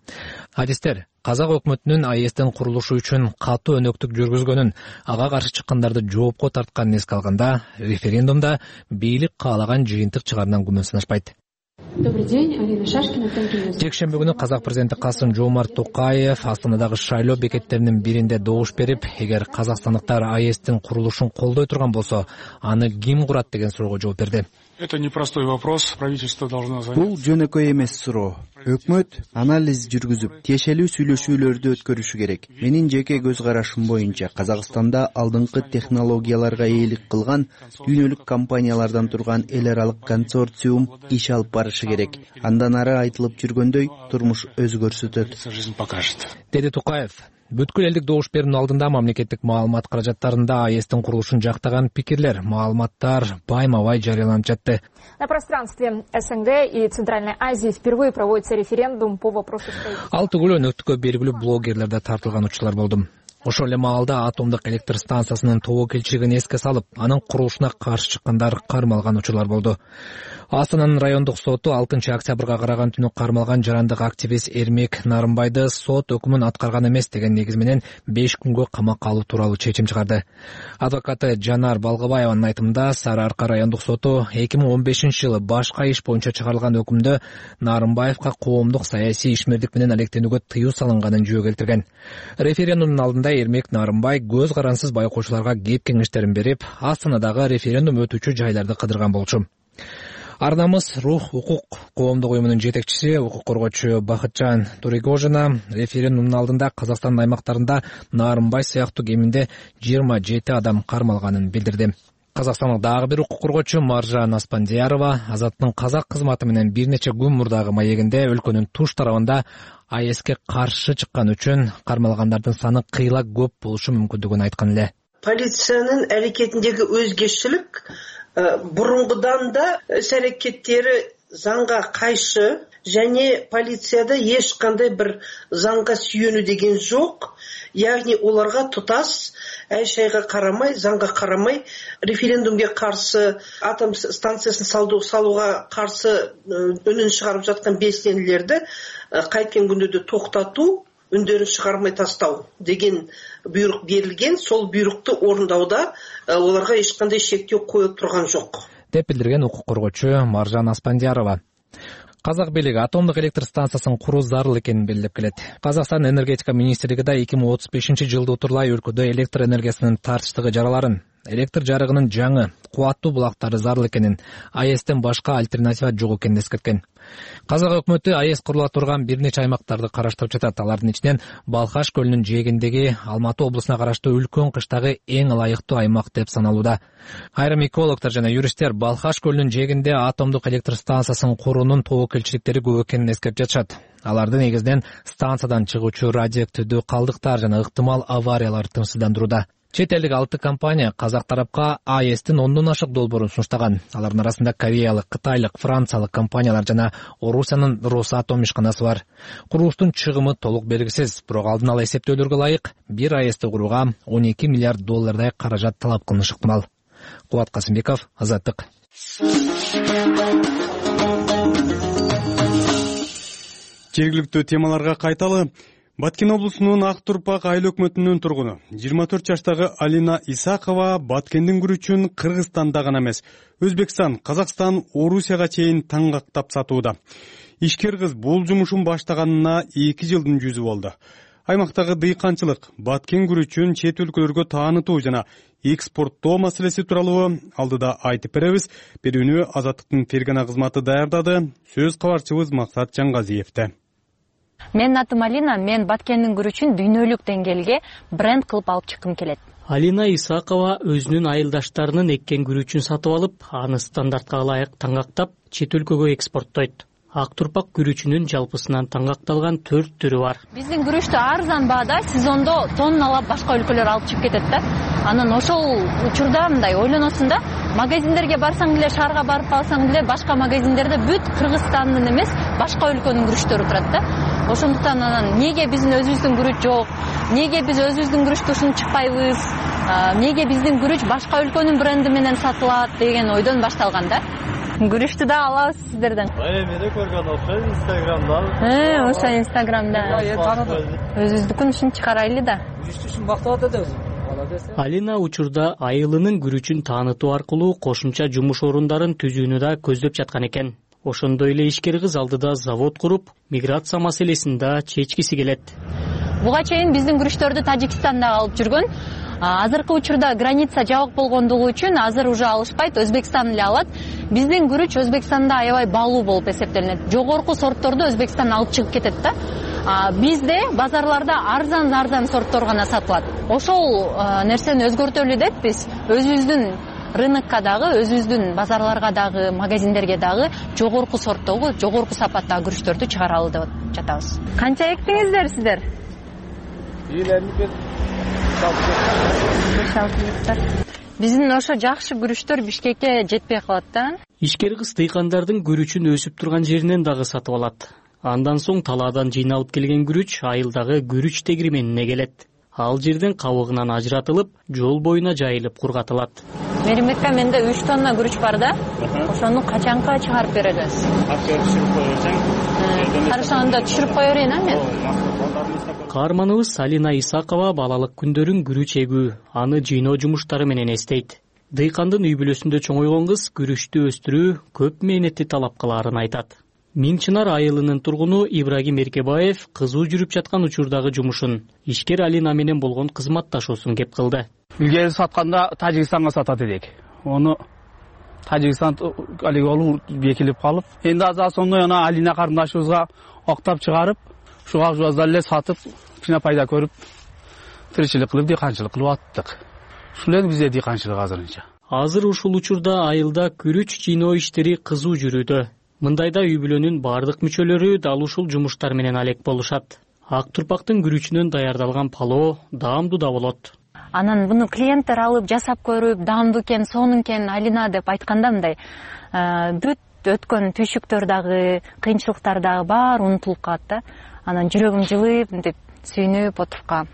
Адистер казак өкмөтүнүн А Э Стин курулушу үчүн катуу өнөктүк жүргүзгөнүн, ага каршы чыккандарды жоопко тартканын эске алганда, референдумда бийлик каалаган жыйынтык чыгарынан күмөн санашпайт. Добрый день, Алина Шашкина. Жекшемби күнү казак президенти Касым-Жомарт Токаев Астанадагы шайлоо бекеттеринин биринде добуш берип, эгер казакстандыктар А Э Стин курулушун колдой турган болсо, аны ким курат деген суроого жооп берди. Это непростой вопрос, правительство должно занять. Бул жөнөкөй эмес суроо. Өкмөт анализ жүргүзүп, тиешелүү сүйлөшүүлөрдү өткөрүшү керек. Менин жеке көз карашым боюнча, Казакстанда алдыңкы технологияларга ээлик кылган дүйнөлүк компаниялардан турган эл аралык консорциум иш алып барышы керек. Андан ары айтылып жүргөндөй, турмуш өзгөрсөтөт, деди Токаев. Бүткүл элдик добуш берүүнүн алдында мамлекеттик маалымат каражаттарында А Э Стин курулушун жактаган пикирлер, маалыматтар байма-бай жарыяланып жатты. На пространстве С Н Г и Центральной Азии впервые проводится референдум по вопросу строительства. Ал түгүл өнөктүккө белгилүү блогерлер да тартылган учурлар болду. Ошол эле маалда атомдук электр станциясынын тобокелчилигин эске салып, анын курулушуна каршы чыккандар кармалган учурлар болду. Астананын райондук соту алтынчы октябрга караган түнү кармалган жарандык активист Эрмек Нарымбайды сот өкүмүн аткарган эмес деген негиз менен беш күнгө камакка алуу тууралуу чечим чыгарды. Адвокаты Жанар Балгыбаеванын айтымында, Сары Арка райондук соту эки миң он бешинчи жылы башка иш боюнча чыгарылган өкүмдө Нарымбаевка коомдук саясий ишмердик менен алектенүүгө тыюу салынганын жөө келтирген. Референдумдун алдында Эрмек Нарымбай көз карансыз байкоочуларга кеп кеңештерин берип, Астанадагы референдум өтүүчү жайларды кыдырган болчу. Арнамыз Рух укук коомдук уюмунун жетекчиси, укук коргоочу Бакытжан Турегожина референдумдун алдында Казакстандын аймактарында Нарымбай сыяктуу кеминде жыйырма жети адам кармалганын билдирди. Казакстандык дагы бир укук коргоочу Маржан Аспандиярова Азаттын казак кызматы менен бир нече күн мурдагы маегинде өлкөнүн туш тарабында А Э Ске каршы чыккан үчүн кармалгандардын саны кыйла көп болушу мүмкүндүгүн айткан эле. Полициянын аракетиндеги өзгөчөлүк бурунгудан да іс әрекеттері заңға қайшы, және полицияда ешқандай бір заңға сүйену деген жоқ. Яғни оларға тұтас әй-шайға қарамай, заңға қарамай, референдумге қарсы, атом станциясын салуға қарсы үнін шығарып жатқан белсенділерді қайткен күнде де тоқтату, үндерін шығармай тастау деген бұйрық берілген. Сол бұйрықты орындауда оларға ешқандай шектеу қойылып тұрған жоқ, деп билдирген укук коргоочу Маржан Аспандиярова. Казак бийлиги атомдук электр станциясын куруу зарыл экенин белгилеп келет. Казакстан энергетика министрлиги да эки миң отуз бешинчи жылды утурлай өлкөдө электр энергиясынын тартыштыгы жараларын, электр жарыгынын жаңы, кубаттуу булактары зарыл экенин, А Э Стен башка альтернатива жок экенин эскерткен. Казак өкмөтү А Э С курула турган бир нече аймактарды караштырып жатат. Алардын ичинен Балхаш көлүнүн жээгиндеги Алматы облусуна караштуу үлкөн кыштагы эң ылайыктуу аймак деп саналууда. Айрым экологдор жана юристтер Балхаш көлүнүн жээгинде атомдук электр станциясын куруунун тобокелчиликтери көп экенин эскертип жатышат. Аларды негизинен станциядан чыгуучу радиоактивдүү калдыктар жана ыктымал авариялар тынчсыздандырууда. Чет элдик алты компания казак тарапка АЭСтин ондон ашык долбоорун сунуштаган. Алардын арасында кореялык, кытайлык, франциялык компаниялар жана Орусиянын Росатом ишканасы бар. Курулуштун чыгымы толук белгисиз, бирок алдын ала эсептөөлөргө ылайык бир АЭСти курууга он эки миллиард доллардай каражат талап кылынышы ыктымал. Кубат Касымбеков, Азаттык. Жергиликтүү темаларга кайталы. Баткен облусунун Ак Турпак айыл өкмөтүнүн тургуну жыйырма төрт жаштагы Алина Исакова Баткендин күрүчүн Кыргызстанда гана эмес, Өзбекстан, Казакстан, Орусияга чейин таңгактап сатууда. Ишкер кыз бул жумушун баштаганына эки жылдын жүзү болду. Аймактагы дыйканчылык, Баткен күрүчүн чет өлкөлөргө таанытуу жана экспорттоо маселеси тууралуу алдыда айтып беребиз. Берүүнү Азаттыктын Фергана кызматы даярдады. Сөз кабарчыбыз Максат Жаңгазиевде. Менин атым Алина, мен Баткендин күрүчүн дүйнөлүк деңгээлге бренд кылып алып чыккым келет. Алина Исакова өзүнүн айылдаштарынын эккен күрүчүн сатып алып, аны стандартка ылайык таңгактап, чет өлкөгө экспорттойт. Ак Турпак күрүчүнүн жалпысынан таңгакталган төрт түрү бар. Биздин күрүчтү арзан баада сезондо тонналап башка өлкөлөр алып чыгып кетет да. Анан ошол учурда мындай ойлоносуң да, магазиндерге барсаң деле, шаарга барып калсаң деле, башка магазиндерде бүт Кыргызстандын эмес, башка өлкөнүн күрүчтөрү турат да. Ошондуктан анан эмнеге биздин өзүбүздүн күрүч жок? Эмнеге биз өзүбүздүн күрүчтү ушинтип чыкпайбыз? Эмнеге биздин күрүч башка өлкөнүн бренди менен сатылат деген ойдон башталган да. Күрүчтү да алабыз сиздерден. Эми да көргөн окшойм Инстаграмда. Э, ошо Инстаграмда. Өзүбүздүкүн ушинтип чыгарайлы да. Күрүчтү бактап атат. Алина учурда айылынын күрүчүн таанытуу аркылуу кошумча жумуш орундарын түзүүнү да көздөп жаткан экен. Ошондой эле ишкер кыз алдыда завод куруп, миграция маселесин да чечкиси келет. Буга чейин биздин күрүчтөрдү Тажикстанда алып жүргөн. Азыркы учурда граница жабык болгондугу үчүн азыр уже алышпайт, Өзбекстан эле алат. Биздин күрүч Өзбекстанда аябай баалуу болуп эсептелинет. Жогорку сортторду Өзбекстан алып чыгып кетет да. Бизде базарларда арзан-арзан сорттор гана сатылат. Ошол нерсени өзгөртөлү деп биз өзүбүздүн рынокко дагы, өзүбүздүн базарларга дагы, магазиндерге дагы жогорку сорттогу, жогорку сапаттагы күрүчтөрдү чыгаралы деп жатабыз. Канча эктиңиздер сиздер? Биздин ошо жакшы күрүчтөр Бишкекке жетпей калат да. Ишкер кыз дыйкандардын күрүчүн өсүп турган жеринен дагы сатып алат. Андан соң талаадан жыйналып келген күрүч айылдагы күрүч тегирменине келет. Ал жерден кабыгынан ажыратылып, жол боюна жайылып кургатылат. Меримбекка менде үч тонна күрүч бар да. Ошону качанка чыгарып беребиз? Түшүрүп кое берсең. Хорошо, анда түшүрүп кое берейин, а мен. Каарманыбыз Алина Исакова балалык күндөрүн күрүч эгүү, аны жыйноо жумуштары менен эстейт. Дыйкандын үй бүлөсүндө чоңойгон кыз күрүчтү өстүрүү көп мээнетти талап кылаарын айтат. Миңчынар айылынын тургуну Ибрагим Эркебаев кызуу жүрүп жаткан учурдагы жумушун ишкер Алина менен болгон кызматташуусун кеп кылды. Илгери сатканда Тажикстанга сатат элек. Ону Тажикстан алиги олуу бекилип калып, энди азыр сонун ана Алина карындашыбызга октап чыгарып, ушуга жуаздар эле сатып, кичине пайда көрүп, тиричилик кылып, дыйканчылык кылып аттык. Ушул эле бизде дыйканчылык азырынча. Азыр ушул учурда айылда күрүч жыйноо иштери кызуу жүрүүдө. Мындайда үй бүлөнүн бардык мүчөлөрү дал ушул жумуштар менен алек болушат. Ак Турпактын күрүчүнөн даярдалган палоо даамдуу да болот. Анан буну клиенттер алып жасап көрүп, даамдуу экен, сонун экен Алина деп айтканда мындай бүт өткөн түйшүктөр дагы, кыйынчылыктар дагы баары унутулуп калат да. Анан жүрөгүм жылып, мынтип сүйүнүп отуруп калам.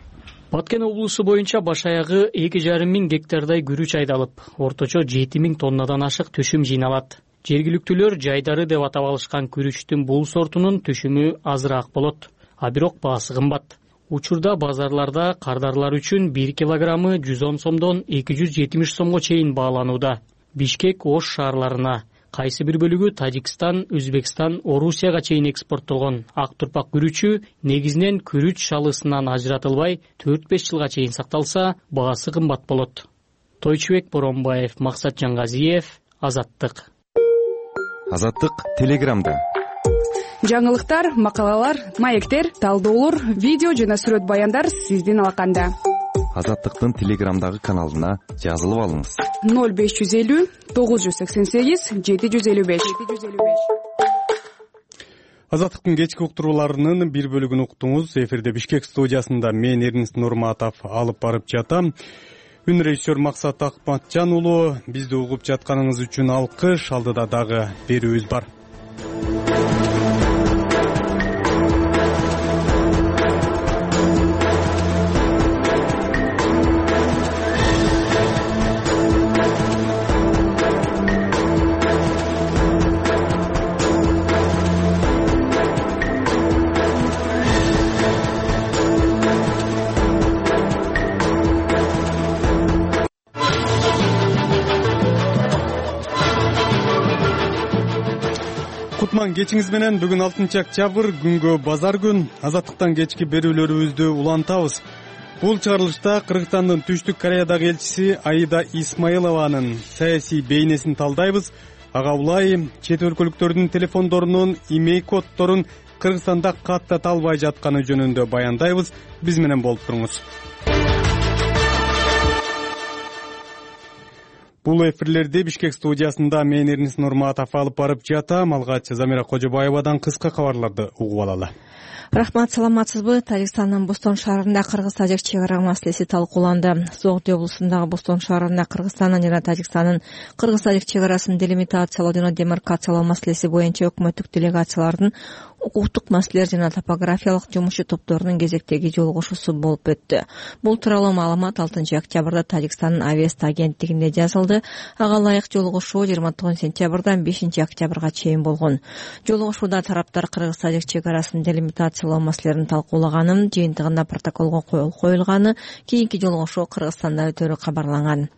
Баткен облусу боюнча баш аягы эки жарым миң гектардай күрүч айдалып, орточо жети миң тоннадан ашык түшүм жыйналат. Жергиликтүүлөр жайдары деп атап алышкан күрүчтүн бул сортунун түшүмү азыраак болот, а бирок баасы кымбат. Учурда базарларда кардарлар үчүн бир килограммы жүз он сомдон эки жүз жетимиш сомго чейин бааланууда. Бишкек, Ош шаарларына, кайсы бир бөлүгү Тажикстан, Өзбекстан, Орусияга чейин экспорттолгон Ак Турпак күрүчү негизинен күрүч шалысынан ажыратылбай төрт беш жылга чейин сакталса, баасы кымбат болот. Тойчубек Боронбаев, Максат Жаңгазиев, Азаттык. Азаттык Телеграмда. Жаңылыктар, макалалар, маектер, талдоолор, видео жана сүрөт баяндар сиздин алаканда. Азаттыктын Телеграмдагы каналына жазылып алыңыз. ноль беш жүз элүү тогуз жүз сексен сегиз жети жүз элүү беш. Азаттыктын кечки уктурууларынын бир бөлүгүн уктуңуз. Эфирде Бишкек студиясында мен Эрнест Нурматов алып барып жатам. Үн режиссер Максат Акматжан уулу. Бизди угуп жатканыңыз үчүн алкыш. Алдыда дагы берүүбүз бар. Кечиңиз менен бүгүн алтынчы октябрь күнгө базар күн. Азаттыктан кечки берүүлөрүбүздү улантабыз. Бул чыгарылышта Кыргызстандын Түштүк Кореядагы элчиси Аида Исмаилованын саясий бейнесин талдайбыз. Ага улай чет өлкөлүктөрдүн телефондорунун имей коддорун Кыргызстанда каттата албай жатканы жөнүндө баяндайбыз. Биз менен болуп туруңуз. Бул эфирлерди Бишкек студиясында мен Эрнис Нурматов алып барып жатам. Алгач Замира Кожобаевадан кыска кабарларды угуп алалы. Рахмат, саламатсызбы? Тажикстандын Бостон шаарында Кыргыз-Тажик чек ара маселеси талкууланды. Зоодо облусундагы Бостон шаарында Кыргызстандын жана Тажикстандын Кыргыз-Тажик чек арасын делимитациялоо жана демаркациялоо маселеси боюнча өкмөттүк делегациялардын укуктук маселелер жана топографиялык жумушчу топторунун кезектеги жолугушуусу болуп өттү. Бул тууралуу маалымат алтынчы октябрда Тажикстандын Авеста агенттигинде жазылды. Ага ылайык жолугушуу жыйырма тогузунчу сентябрдан бешинчи октябрга чейин болгон. Жолугушууда тараптар Кыргыз-Тажик чек арасын делимитациялоо маселелерин талкуулаганын, жыйынтыгында протоколго кол коюлганы, кийинки жолугушуу Кыргызстанда өтөрү кабарланган.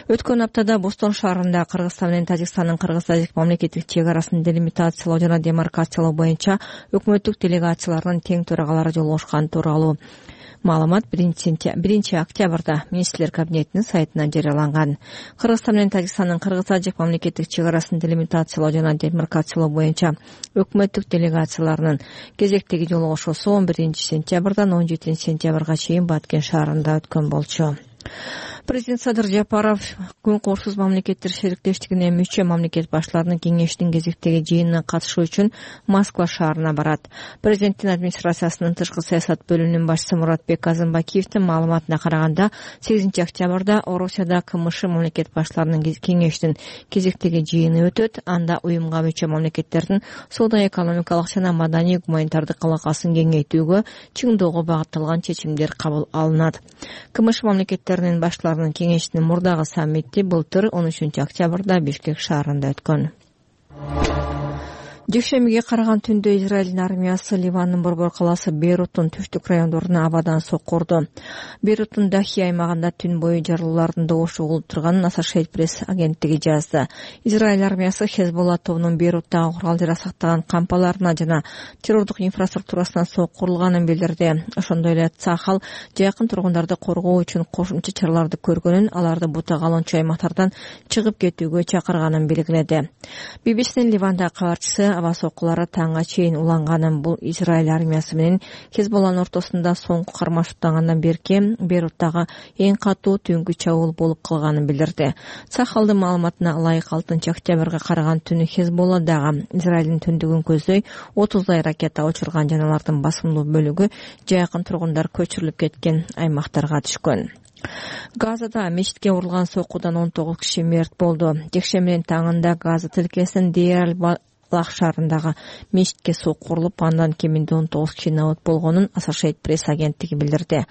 Өткөн аптада Бостон шаарында Кыргызстан менен Тажикстандын Кыргыз-Тажик мамлекеттик чек арасын делимитациялоо жана демаркациялоо боюнча өкмөттүк делегацияларынын тең төрагалары жолугушкан тууралуу маалымат биринчи октябрда министрлер кабинетинин сайтынан жарыяланган. Кыргызстан менен Тажикстандын Кыргыз-Тажик мамлекеттик чек арасын делимитациялоо жана демаркациялоо боюнча өкмөттүк делегацияларынын кезектеги жолугушуусу он биринчи сентябрдан он жетинчи сентябрга чейин Баткен шаарында өткөн болчу. Президент Садыр Жапаров Күн коопсуз мамлекеттер шериктештигине мүчө мамлекет баштарынын кеңешинин кезектеги жыйынына катышуу үчүн Москва шаарына барат. Президенттин администрациясынын тышкы саясат бөлүмүнүн башчысы Муратбек Азымбакиевдин маалыматына караганда, сегизинчи октябрда Орусияда КМШ мамлекет баштарынын кеңешинин кезектеги жыйыны өтөт. Анда уюмга мүчө мамлекеттердин соода-экономикалык жана маданий гуманитардык алакасын кеңейтүүгө, чыңдоого багытталган чечимдер кабыл алынат. КМШ мамлекеттеринин баштарынын кеңешинин мурдагы саммити былтыр он үчүнчү октябрда Бишкек шаарында өткөн. Жекшембиге караган түндө Израилдин армиясы Ливандын борбор калаасы Бейруттун түштүк райондоруна абадан соккурду. Бейруттун Дахи аймагында түн бою жарылуулардын добушу угулуп турганын Associated Press агенттиги жазды. Израиль армиясы Хезболла тобунун Бейруттагы курал жарак кампаларына жана террордук инфраструктурасына соккурулганын билдирди. Ошондой эле Цахал жакын тургундарды коргоо үчүн кошумча чараларды көргөнүн, аларды бута калончу аймактардан чыгып кетүүгө чакырганын белгиледи. би би синин Ливандагы кабарчысы аба соккулары таңга чейин уланганын, бул Израиль армиясы менен Хезболланын ортосунда соңку кармашыктангандан берки Бейруттагы эң катуу түнгү чабуул болуп калганын билдирди. Цахалдын маалыматына ылайык алтынчы октябрга караган түнү Хезболладагы Израилдин түндүгүн көздөй отуздай ракета учурган, жана алардын басымдуу бөлүгү жакын тургундар көчүрүлүп кеткен аймактарга түшкөн. Газада мечитке урулган соккудан он тогуз киши мерт болду. Жекшембинин таңында Газа тилкесинин Дейр Лах шаарындагы мечитке соккурулуп, андан кеминде он тогуз киши набыт болгонун Associated Press агенттиги билдирди.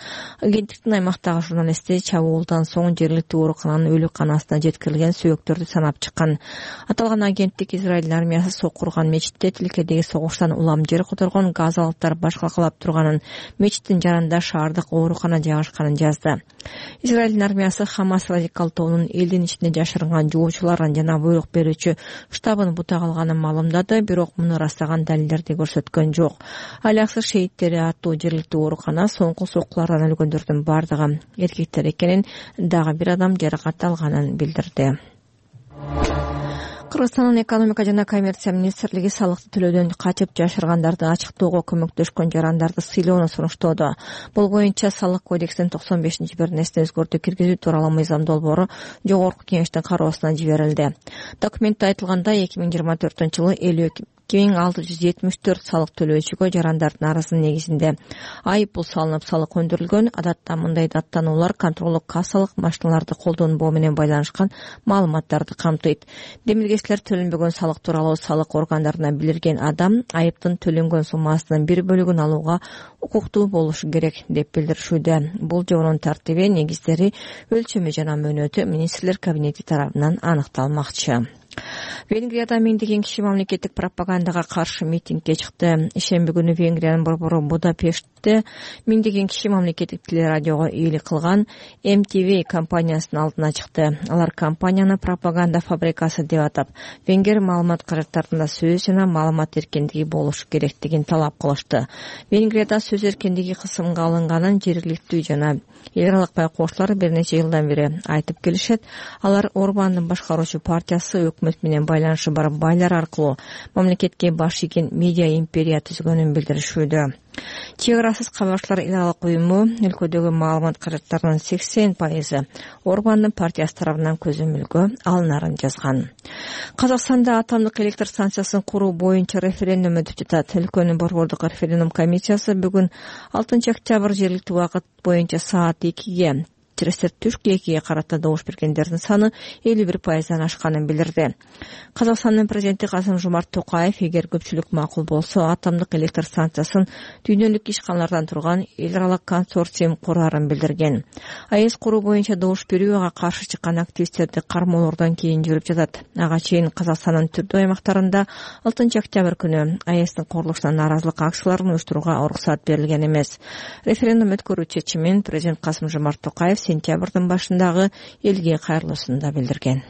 Агенттиктин аймактагы журналисти чабуулдан соң жергиликтүү оорукананын өлүкканасына жеткирилген сөөктөрдү санап чыккан. Аталган агенттик Израиль армиясы соккурган мечитте тилкедеги согуштан улам жер которгон газалыктар баш калкалап турганын, мечиттин жанында шаардык оорукана жайгашканын жазды. Израиль армиясы Хамас радикал тобунун элдин ичинде жашырынган жуучуларын жана буйрук берүүчү штабын бута калганын маалымдады, бирок муну ырастаган далилдерди көрсөткөн жок. Аляксыз шейиттери аттуу жергиликтүү оорукана соңку соккулардан өлгөндөрдүн бардыгы эркектер экенин, дагы бир адам жаракат алганын билдирди. Кыргызстандын экономика жана коммерция министрлиги салыкты төлөөдөн качып жашыргандарды ачыктоого көмөктөшкөн жарандарды сыйлоону сунуштоодо. Бул боюнча салык кодексинин токсон бешинчи бернесине өзгөртүү киргизүү тууралуу мыйзам долбоору жогорку кеңештин кароосуна жиберилди. Документте айтылгандай, эки миң жыйырма төртүнчү жылы элүү эки миң алты жүз жетимиш төрт салык төлөөчүгө жарандардын арызынын негизинде айып пул салынып салык өндүрүлгөн. Адатта мындай даттануулар контролдук кассалык машиналарды колдонбоо менен байланышкан маалыматтарды камтыйт. Демилгечилер төлөнбөгөн салык тууралуу салык органдарына билдирген адам айыптын төлөнгөн суммасынын бир бөлүгүн алууга укуктуу болушу керек деп билдиришүүдө. Бул жобонун тартиби, негиздери, өлчөмү жана мөөнөтү министрлер кабинети тарабынан аныкталмакчы. Венгрияда миңдеген киши мамлекеттик пропагандага каршы митингге чыкты. Ишемби күнү Венгриянын борбору Будапештте миңдеген киши мамлекеттик телерадиого ыйлык кылган эм ти ви компаниясынын алдына чыкты. Алар компанияны пропаганда фабрикасы деп атап, венгер маалымат каражаттарында сөз жана маалымат эркиндиги болушу керектигин талап кылышты. Венгрияда сөз эркиндиги кысымга алынганын жергиликтүү жана эл аралык байкоочулар бир нече жылдан бери айтып келишет. Алар Орбандын башкаруучу партиясы өкмөт менен байланышы бар байлар аркылуу мамлекетке баш ийген медиа империя түзгөнүн билдиришүүдө. Чек арасыз кабарчылар эл аралык уюму өлкөдөгү маалымат каражаттарынын сексен пайызы Орбандын партиясы тарабынан көзөмөлгө алынарын жазган. Казакстанда атомдук электр станциясын куруу боюнча референдум өтүп жатат. Өлкөнүн борбордук референдум комиссиясы бүгүн алтынчы октябрь жергиликтүү убакыт боюнча саат экиге Терестер түшкү экиге карата добуш бергендердин саны элүү бир пайыздан ашканын билдирди. Казакстандын президенти Касым-Жомарт Токаев эгер көпчүлүк макул болсо, атомдук электр станциясын дүйнөлүк ишканалардан турган эл аралык консорциум курарын билдирген. АЭС куруу боюнча добуш берүүгө каршы чыккан активисттерди кармоолордон кийин жүрүп жатат. Ага чейин Казакстандын түрдүү аймактарында алтынчы октябрь күнү АЭСтин курулушуна нааразылык акцияларын уюштурууга уруксат берилген эмес. Референдум өткөрүү чечимин президент Касым-Жомарт Токаев сентябрдын башындагы элге кайрылуусунда билдирген.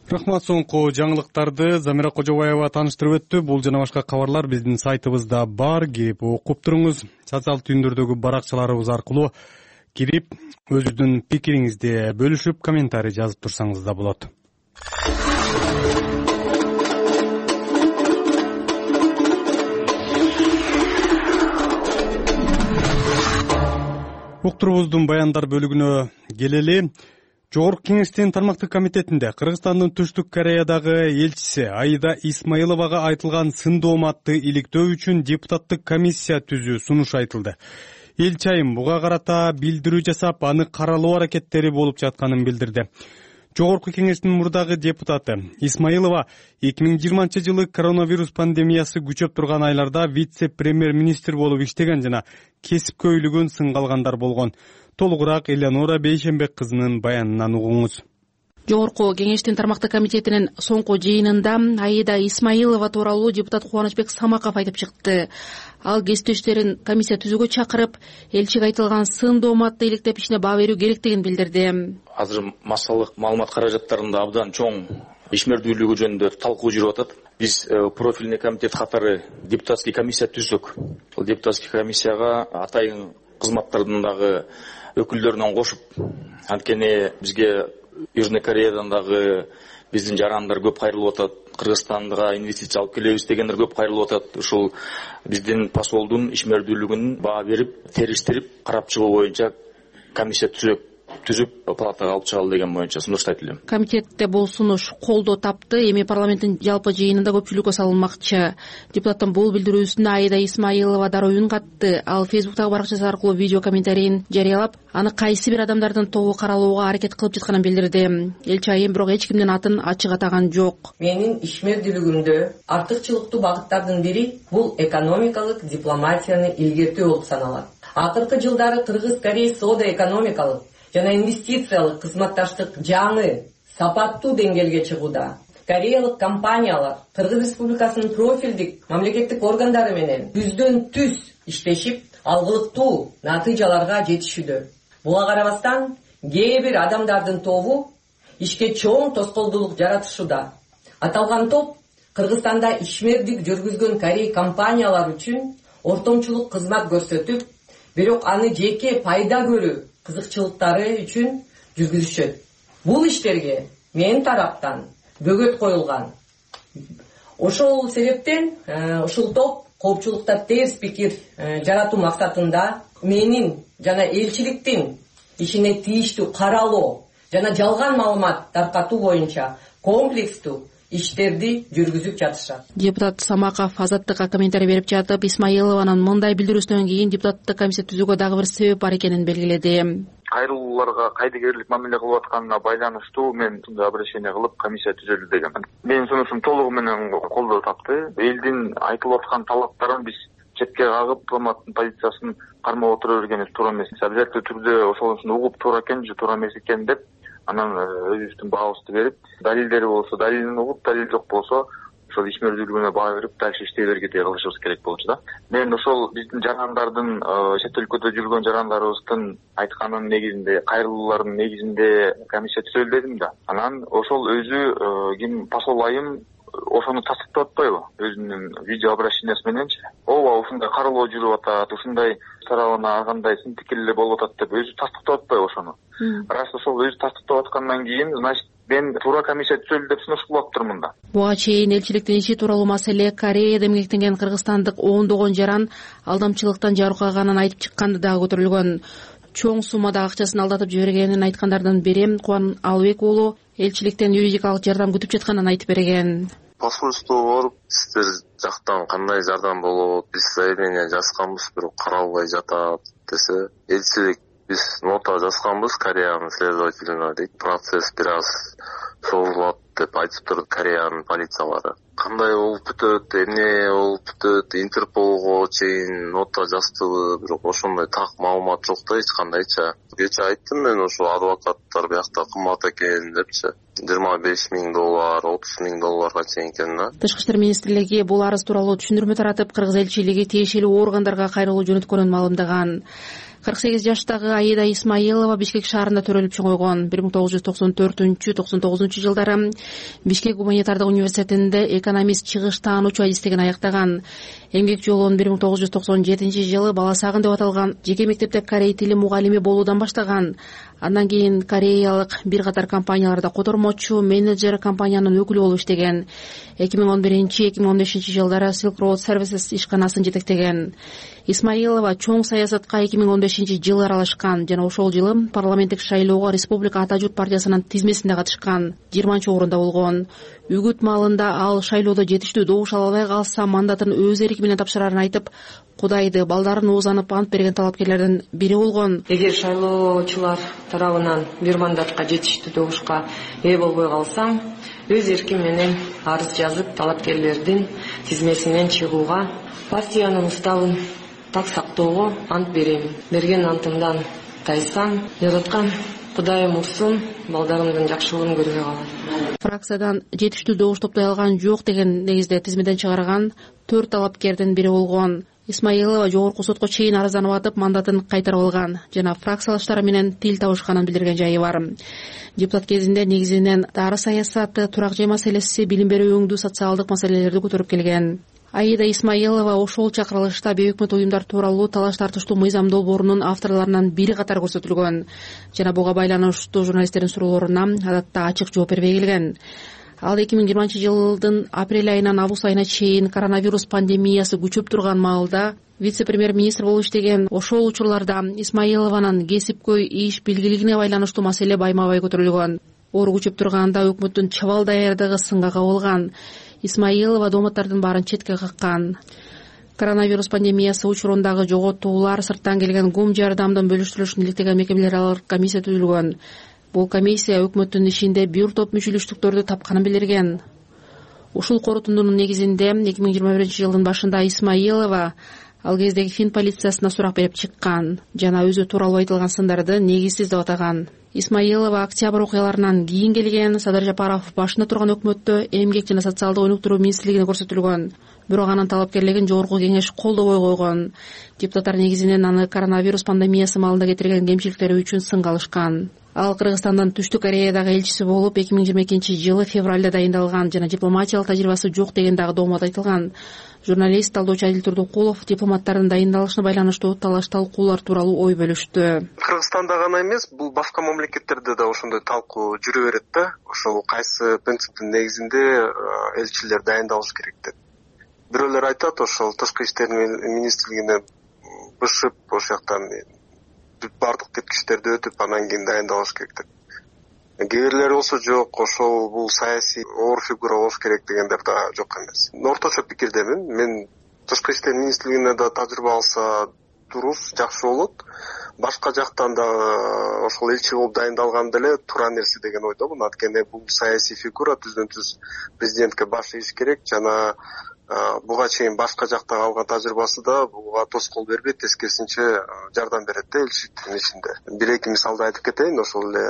Рахмат, соңку жаңылыктарды Замира Кожобаева тааныштырып өттү. Бул жана башка кабарлар биздин сайтыбызда бар. Кирип окуп туруңуз. Социалдык түйүндөрдөгү баракчаларыбыз аркылуу кирип өзүңүздүн пикириңизди бөлүшүп, комментарий жазып турсаңыз да болот. Уктурубуздун баяндар бөлүгүнө келели. Жогорку кеңештин тармактык комитетинде Кыргызстандын Түштүк Кореядагы элчиси Аида Исмаиловага айтылган сын дооматты иликтөө үчүн депутаттык комиссия түзүү сунуш айтылды. Элчи айым буга карата билдирүү жасап, аны каралоо аракеттери болуп жатканын билдирди. Жогорку кеңештин мурдагы депутаты Исмаилова эки миң жыйырманчы жылы коронавирус пандемиясы күчөп турган айларда вице-премьер-министр болуп иштеген жана кесипкөйлүгүн сынга алгандар болгон. Толугураак Элеонора Бейшембек кызынын баянынан угуңуз. Жогорку кеңештин тармактык комитетинин соңку жыйынында Аида Исмаилова тууралуу депутат Кубанычбек Самаков айтып чыкты. Ал кесиптештерин комиссия түзүүгө чакырып, элчиге айтылган сын дооматты иликтеп ишине баа берүү керектигин билдирди. Азыр массалык маалымат каражаттарында абдан чоң ишмердүүлүгү жөнүндө талкуу жүрүп атат. Биз профильный комитет катары депутатский комиссия түздүк. Бул депутатский комиссияга атайын кызматтардын дагы өкүлдөрүнөн кошуп, анткени бизге Южный Кореядан дагы биздин жарандар көп кайрылып атат. Кыргызстанга инвестиция алып келебиз дегендер көп кайрылып атат. Ушул биздин посолдун ишмердүүлүгүн баа берип, териштирип, карап чыгуу боюнча комиссия түзөк түзүп палатага алып чыгалы деген боюнча сунушту айтылды. Комитетте бул сунуш колдоо тапты. Эми парламенттин жалпы жыйынында көпчүлүккө салынмакчы. Депутаттын бул билдирүүсүнө Аида Исмаилова дароо үн катты. Ал Фейсбуктагы баракчасы аркылуу видео комментарийин жарыялап, аны кайсы бир адамдардын тобу каралууга аракет кылып жатканын билдирди. Элчи айым бирок эч кимдин атын ачык атаган жок. Менин ишмердүүлүгүмдө артыкчылыктуу багыттардын бири бул экономикалык дипломатияны илгертүү болуп саналат. Акыркы жылдары Кыргыз-Корея соода экономикалык жана инвестициялык кызматташтык жаңы сапаттуу деңгээлге чыгууда. Кореялык компаниялар Кыргыз Республикасынын профилдик мамлекеттик органдары менен түздөн түз иштешип, алгылыктуу натыйжаларга жетишүүдө. Буга карабастан, кээ бир адамдардын тобу ишке чоң тоскоолдуулук жаратышууда. Аталган топ Кыргызстанда ишмердик жүргүзгөн Корея компаниялар үчүн ортомчулук кызмат көрсөтүп, бирок аны жеке пайда көрүү кызыкчылыктары үчүн жүргүзүшөт. Бул иштерге менин тараптан бөгөт коюлган. Ошол себептен ушул топ коопчулукта терс пикир жаратуу максатында менин жана элчиликтин ишине тийиштүү каралоо жана жалган маалымат таркатуу боюнча комплекстүү иштерди жүргүзүп жатышат. Депутат Самаков Азаттыкка комментарий берип жатып, Исмаилованын мындай билдирүүсүнөн кийин депутаттык комиссия түзүүгө дагы бир себеп бар экенин белгиледи. Кайрылууларга кайдыгерлик мамиле кылып атканына байланыштуу мен мындай обращение кылып комиссия түзөлдү деген. Менин сунушум толугу менен колдоо тапты. Элдин айтылып аткан талаптарын биз четке кагып, дипломаттын позициясын кармап отура бергенибиз туура эмес. Обязательно түрдө ошонусун угуп туура экен же туура эмес экен деп анан өзүбүздүн баабызды берип, далилдери болсо далилин угуп, далил жок болсо ошол ишмердүүлүгүнө баа берип дальше иштей бергендей кылышыбыз керек болчу да. Мен ошол биздин жарандардын, чет өлкөдө жүргөн жарандарыбыздын айтканын негизинде, кайрылуулардын негизинде комиссия түзөлдү дедим да. Анан ошол өзү ким посол айым ошону тастыктап атпайбы өзүнүн видео обращениясы мененчи? Ооба, ушундай каралоо жүрүп атат, ушундай тарабына ар кандай сын пикирлер болуп атат деп өзү тастыктап атпайбы ошону? Раз ошол өзү тастыктап аткандан кийин, значит, мен туура комиссия түзөлдү деп сунуш кылып атыптырмын да. Буга чейин элчиликтин иши тууралуу маселе Кореяда эмгектенген кыргызстандык ондогон жаран алдамчылыктан жарыкаганын айтып чыкканды дагы көтөрүлгөн. Чоң суммада акчасын алдатып жибергенин айткандардын бири Кубан Алыбек уулу элчиликтен юридикалык жардам күтүп жатканын айтып берген. Посольствого барып, сиздер жактан кандай жардам болот, биз заявление жазганбыз, бирок каралбай жатат десе, элчилик биз нота жазганбыз Кореянын следователине дейт, процесс бир аз созулат деп айтыптыр Кореянын полициялары. Кандай болуп бүтөт, эмне болуп бүтөт, Интерполго чейин нота жаздыбы, бирок ошондой так маалымат жок да эч кандайча. Кече айттым мен ошо адвокаттар биякта кымбат экен депчи. жыйырма беш миң доллар, отуз миң долларга чейин экен да. Тышкы иштер министрлиги бул арыз тууралуу түшүндүрмө таратып, кыргыз элчилиги тиешелүү органдарга кайрылуу жөнөткөнүн маалымдаган. кырк сегиз жаштагы Аида Исмаилова Бишкек шаарында төрөлүп чоңойгон. бир миң тогуз жүз токсон төртүнчү токсон тогузунчу жылдары Бишкек гуманитардык университетинде экономист чыгыш таануучу адистигин аяктаган. Эмгек жолун бир миң тогуз жүз токсон жетинчи жылы Баласагын деп аталган жеке мектепте корей тили мугалими болуудан баштаган. Андан кийин кореялык бир катар компанияларда котормочу, менеджер, компаниянын өкүлү болуп иштеген. эки миң он биринчи эки миң он бешинчи жылдары Silk Road Services ишканасын жетектеген. Исмаилова чоң саясатка эки миң он бешинчи жылы аралашкан жана ошол жылы парламенттик шайлоого Республика Ата журт партиясынын тизмесинде катышкан, жыйырманчы орунда болгон. Үгүт маалында ал шайлоодо жетиштүү добуш ала албай калса мандатын өз эрки менен тапшырарын айтып, Кудайды, балдарын уузанып ант берген талапкерлердин бири болгон. Эгер шайлоочулар тарабынан бир мандатка жетиштүү добушка ээ болбой калсам, өз эрким менен арыз жазып талапкерлердин тизмесинен чыгууга, партиянын уставын так сактоого ант берем. Берген антымдан тайсам, жараткан Кудайым урсун, балдарымдын жакшылыгын көрбөй калат. Фракциядан жетиштүү добуш топтой алган жок деген негизде тизмеден чыгарган төрт талапкердин бири болгон. Исмаилова жогорку сотко чейин арызданып атып, мандатын кайтарып алган жана фракциялаштары менен тил табышканын билдирген жайы бар. Депутат кезинде негизинен дары саясаты, турак жай маселеси, билим берүү өңдүү социалдык маселелерди көтөрүп келген. Аида Исмаилова ошол чакырылышта бейөкмөт уюмдар тууралуу талаш тартыштуу мыйзам долбоорунун авторлорунан бири катары көрсөтүлгөн жана буга байланыштуу журналисттердин суроолоруна адатта ачык жооп бербей келген. Ал эки миң жыйырманчы жылдын апрель айынан август айына чейин коронавирус пандемиясы күчөп турган маалда вице-премьер-министр болуп иштеген. Ошол учурларда Исмаилованын кесипкөй иш билгилигине байланыштуу маселе байма-бай көтөрүлгөн. Оору күчөп турганда өкмөттүн чабал даярдыгы сынга кабылган. Исмаилова дооматтардын баарын четке каккан. Коронавирус пандемиясы учурундагы жоготуулар, сырттан келген гум жардамдын бөлүштүрүлүшүн иликтеген мекемелер аралык комиссия түзүлгөн. Бул комиссия өкмөттүн ишинде бир топ мүчөлүштүктөрдү тапканын билдирген. Ушул корутундунун негизинде эки миң жыйырма биринчи жылдын башында Исмаилова ал кездеги Фин полициясына сурак берип чыккан жана өзү тууралуу айтылган сындарды негизсиз деп атаган. Исмаилова октябрь окуяларынан кийин келген. Садыр Жапаров башында турган өкмөттө эмгек жана социалдык өнүктүрүү министрлигине көрсөтүлгөн. Бирок анын талапкерлигин жогорку кеңеш колдобой койгон. Депутаттар негизинен аны коронавирус пандемиясы маалында кетирген кемчиликтери үчүн сынга алышкан. Ал Кыргызстандын Түштүк Кореядагы элчиси болуп эки миң жыйырма экинчи жылы февралда дайындалган жана дипломатиялык тажрыйбасы жок деген дагы доомат айтылган. Журналист, талдоочу Адил Турдукулов дипломаттардын дайындалышына байланыштуу талаш талкуулар тууралуу ой бөлүштү. Кыргызстанда гана эмес, бул башка мамлекеттерде да ошондой талкуу жүрө берет да. Ошол кайсы принциптин негизинде элчилер дайындалыш керек деп. Бирөөлөр айтат, ошол тышкы иштер министрлигине бышып, ошол жактан бардык теткичтерди өтүп, анан кийин дайындалыш керек деп. кээ бирлери болсо жок, ошол бул саясий оор фигура болуш керек дегендер да жок эмес. Орточо пикирдемин. Мен тышкы иштер министрлигине да тажрыйба алса дурус, жакшы болот. Башка жактан да ошол элчи болуп дайындалган деле туура нерсе деген ойдомун. Анткени бул саясий фигура түздөн түз президентке баш ийиш керек жана буга чейин башка жактагы алган тажрыйбасы да буга тоскоол бербейт, тескерисинче жардам берет да элчиликтин ишинде. Бир эки мисалды айтып кетейин. Ошол эле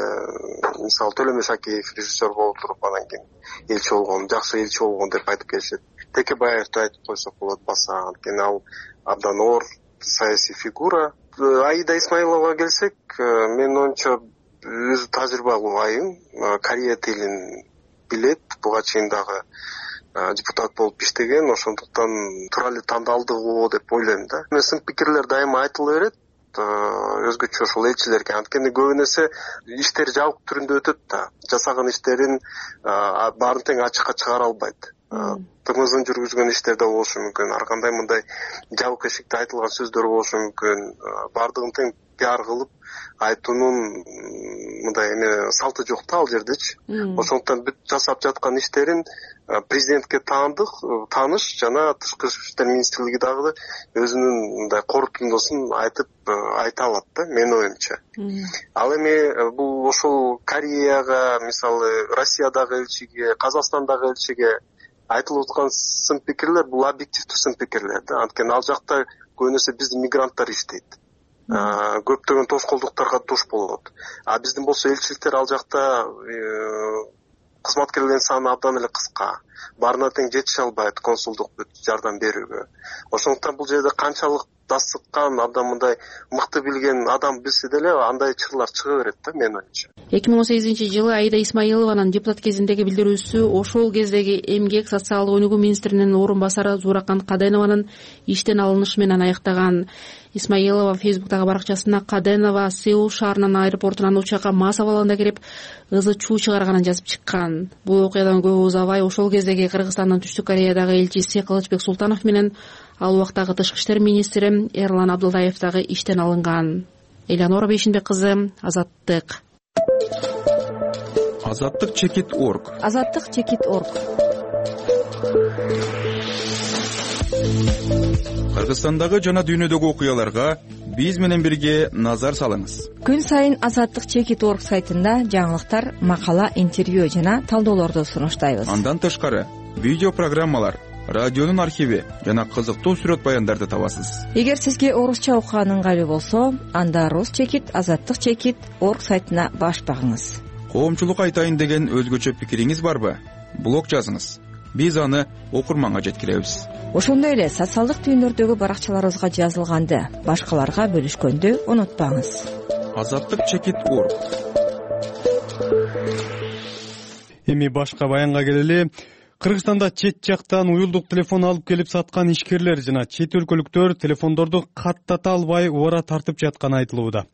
мисалы Төлөмөш Шакеев режиссер болуп туруп анан кийин элчи болгон, жакшы элчи болгон деп айтып келишет. Текебаевди айтып койсок болот баса, анткени ал абдан оор саясий фигура. Аида Исмаиловага келсек, менин оюмча өзү тажрыйбалуу айым, Корея тилин билет, буга чейин дагы депутат болуп иштеген, ошондуктан туура эле тандалдыгы деп ойлойм да. Сын пикирлер дайыма айтыла берет, өзгөчө ошол элчилерге, анткени көбүн эсе иштер жабык түрүндө өтөт да. Жасаган иштерин баарын тең ачыкка чыгара албайт. Тымызын жүргүзгөн иштерде болушу мүмкүн, ар кандай мындай жабык эшикте айтылган сөздөр болушу мүмкүн. Баардыгын тең пиар кылып айтуунун мындай эме салты жок да ал жердечи. Ошондуктан бүт жасап жаткан иштерин президентке таандык, тааныш жана тышкы иштер министрлиги дагы өзүнүн мындай корутундусун айтып айта алат да, менин оюмча. Ал эми бул ошол Кореяга, мисалы Россиядагы элчиге, Казакстандагы элчиге айтылып аткан сын пикирлер бул объективдүү сын пикирлер да. Анткени ал жакта көбүн эсе биздин мигранттар иштейт. Көптөгөн тоскоолдуктарга туш болот. А биздин болсо элчиликтер ал жакта кызматкерлердин саны абдан эле кыска. Баарына тең жетише албайт консулдук жардам берүүгө. Ошондуктан бул жерде канчалык дасыккан, абдан мындай мыкты билген адам билсе деле андай чырлар чыга берет да, менин оюмча. эки миң он сегизинчи жылы Аида Исмаилованын депутат кезиндеги билдирүүсү ошол кездеги эмгек социалдык өнүгүү министринин орун басары Зууракан Каденованын иштен алынышы менен аяктаган. Исмаилова фейсбуктагы баракчасына Каденова Сеул шаарынын аэропортунан учакка мас абалында кирип ызы чуу чыгарганын жазып чыккан. Бул окуядан көп узабай ошол кездеги Кыргызстандын Түштүк Кореядагы элчиси Кылычбек Султанов менен ал убактагы тышкы иштер министри Эрлан Абдылдаев дагы иштен алынган. Элеонора Бейшинбек кызы, Азаттык. Азаттык чекит орг. Азаттык чекит орг. Кыргызстандагы жана дүйнөдөгү окуяларга биз менен бирге назар салыңыз. Күн сайын Азаттык чекит орг сайтында жаңылыктар, макала, интервью жана талдоолорду сунуштайбыз. Андан тышкары видео программалар, радионун архиви жана кызыктуу сүрөт баяндарды табасыз. Эгер сизге орусча окуган ыңгайлуу болсо, анда Рус чекит, Азаттык чекит орг сайтына баш багыңыз. Коомчулук айтайын деген өзгөчө пикириңиз барбы? Блог жазыңыз. Биз аны окурманга жеткиребиз. Ошондой эле социалдык түйүндөрдөгү баракчаларыбызга жазылганды башкаларга бөлүшкөндү унутпаңыз. Азаттык чекит орг. Эми башка баянга келели. Кыргызстанда чет жактан уюлдук телефон алып келип саткан ишкерлер жана чет өлкөлүктөр телефондорду каттата албай убара тартып жатканы айтылууда.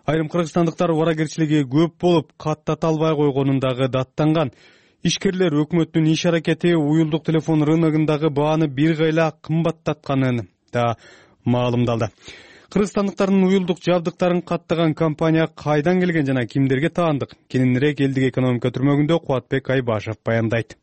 Айрым кыргызстандыктар убаракерчилиги көп болуп, каттата албай койгонун дагы даттанган. Ишкерлер өкмөттүн иш аракети уюлдук телефон рыногундагы бааны бир кайла кымбаттатканын да маалымдалды. Кыргызстандыктардын уюлдук жабдыктарын каттаган компания кайдан келген жана кимдерге таандык? Кененирээк элдик экономика түрмөгүндө Кубатбек Айбашев баяндайт.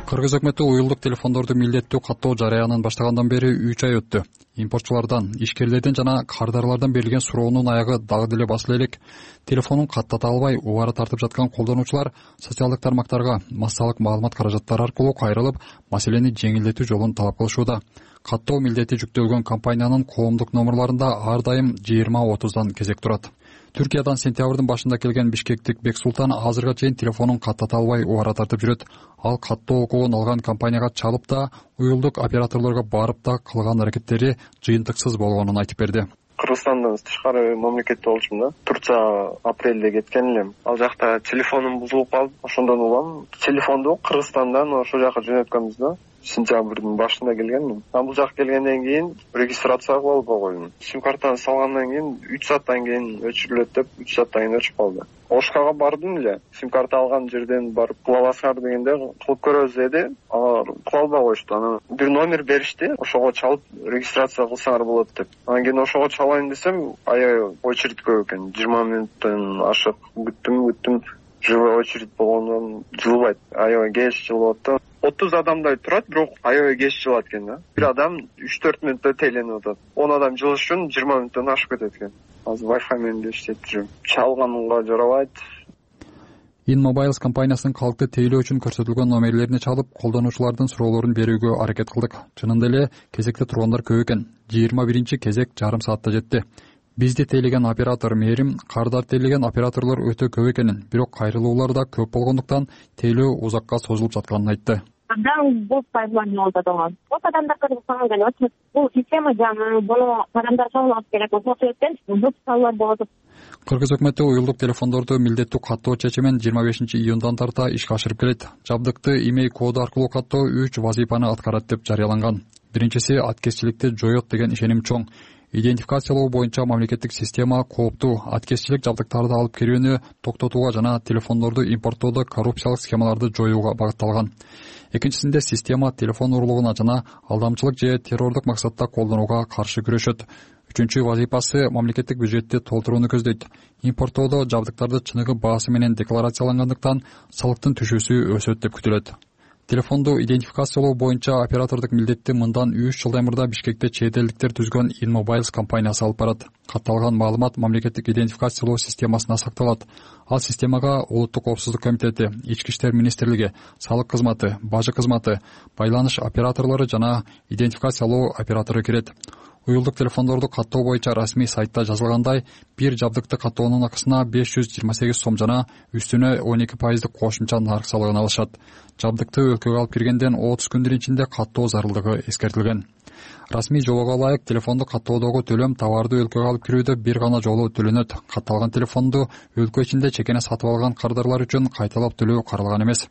Кыргыз өкмөтү уюлдук телефондорду милдеттүү каттоо жараянын баштагандан бери үч ай өттү. Импортчулардан, ишкерлерден жана кардарлардан берилген суроонун аягы дагы деле басыла элек. Телефонун каттата албай убара тартып жаткан колдонуучулар социалдык тармактарга массалык маалымат каражаттары аркылуу кайрылып, маселени жеңилдетүү жолун талап кылышууда. Каттоо милдети жүктөлгөн компаниянын коомдук номерларында ар дайым жыйырма отуздан кезек турат. Түркиядан сентябрдын башында келген бишкектик Бексултан азырга чейин телефонун каттата албай убара тартып жүрөт. Ал каттоо окуун алган компанияга чалып да, уюлдук операторлорго барып да кылган аракеттери жыйынтыксыз болгонун айтып берди. Кыргызстандан тышкары мамлекетте болчумун да. Турция апрелде кеткен элем. Ал жакта телефонум бузулуп калып, ошондон улам телефонду Кыргызстандан ошол жака жөнөткөнбүз да. сентябрдын башында келгенмин. Бул жака келгенден кийин регистрация кылып койдум. Сим картаны салгандан кийин үч сааттан кийин өчүрүлөт деп үч сааттан кийин өчүп калды. Ошкага бардым эле. Сим карта алган жерден барып кыла аласыңар дегенде кылып көрөбүз деди. Алар кыла албай коюшту. Анан бир номер беришти. Ошого чалып регистрация кылсаңар болот деп. Анан кийин ошого чалайын десем, аябай очередь көп экен. жыйырма мүнөттөн ашык күттүм, күттүм. Живой очередь болгондон жылбайт. Аябай кеч жылып атты. отуз адамдай турат, бирок аябай кеч жылат экен да. Бир адам үч төрт мүнөттө тейленип атат. он адам жылыш үчүн жыйырма мүнөттөн ашып кетет экен. Азыр Wi-Fi менен да иштеп жүрөм. Чалганга жарабайт. InMobiles компаниясынын калкты тейлөө үчүн көрсөтүлгөн номерлерине чалып, колдонуучулардын суроолорун берүүгө аракет кылдык. Чынында эле кезекте тургандар көп экен. жыйырма биринчи кезек жарым саатта жетти. Бизди тейлеген оператор Мээрим кардар тейлеген операторлор өтө көп экенин, бирок кайрылуулар да көп болгондуктан тейлөө узакка созулуп жатканын айтты. Адам бул пайдалануу болот болгон. Бул адамдар кыргызстанга келип, бул система жаңы, буну адамдар чоңулуп керек. Ошол себептен бул саллар болот. Кыргыз өкмөтү уюлдук телефондорду милдеттүү каттоо чечимин жыйырма бешинчи июндан тарта ишке ашырып келет. Жабдыкты имей коду аркылуу каттоо үч вазифаны аткарат деп жарыяланган. Биринчиси аткезчиликти жоет деген ишеним чоң. Идентификациялоо боюнча мамлекеттик система кооптуу аткезчилик жабдыктарды алып кирүүнү токтотууга жана телефондорду импорттоодо коррупциялык схемаларды жоюуга багытталган. Экинчисинде система телефон урлугуна жана алдамчылык же террордук максатта колдонууга каршы күрөшөт. Үчүнчү вазифасы мамлекеттик бюджетти толтурууну көздөйт. Импорттоодо жабдыктарды чыныгы баасы менен декларациялангандыктан салыктын түшүүсү өсөт деп күтүлөт. Телефонду идентификациялоо боюнча оператордук милдетти мындан үч жылдай мурда Бишкекте чет элдиктер түзгөн InMobiles компаниясы алып барат. Катталган маалымат мамлекеттик идентификациялоо системасына сакталат. Ал системага Улуттук коопсуздук комитети, Ички иштер министрлиги, салык кызматы, бажы кызматы, байланыш операторлору жана идентификациялоо оператору кирет. Уюлдук телефондорду каттоо боюнча расмий сайтта жазылгандай, бир жабдыкты каттоонун акысына беш жүз жыйырма сегиз сом жана үстүнө он эки пайыздык кошумча нарк салыгын алышат. Жабдыкты өлкөгө алып киргенден отуз күндүн ичинде каттоо зарылдыгы эскертилген. Расмий жолого ылайык телефонду каттоодогу төлөм товарды өлкөгө алып кирүүдө бир гана жолу төлөнөт. Катталган телефонду өлкө ичинде чекене сатып алган кардарлар үчүн кайталап төлөө каралган эмес.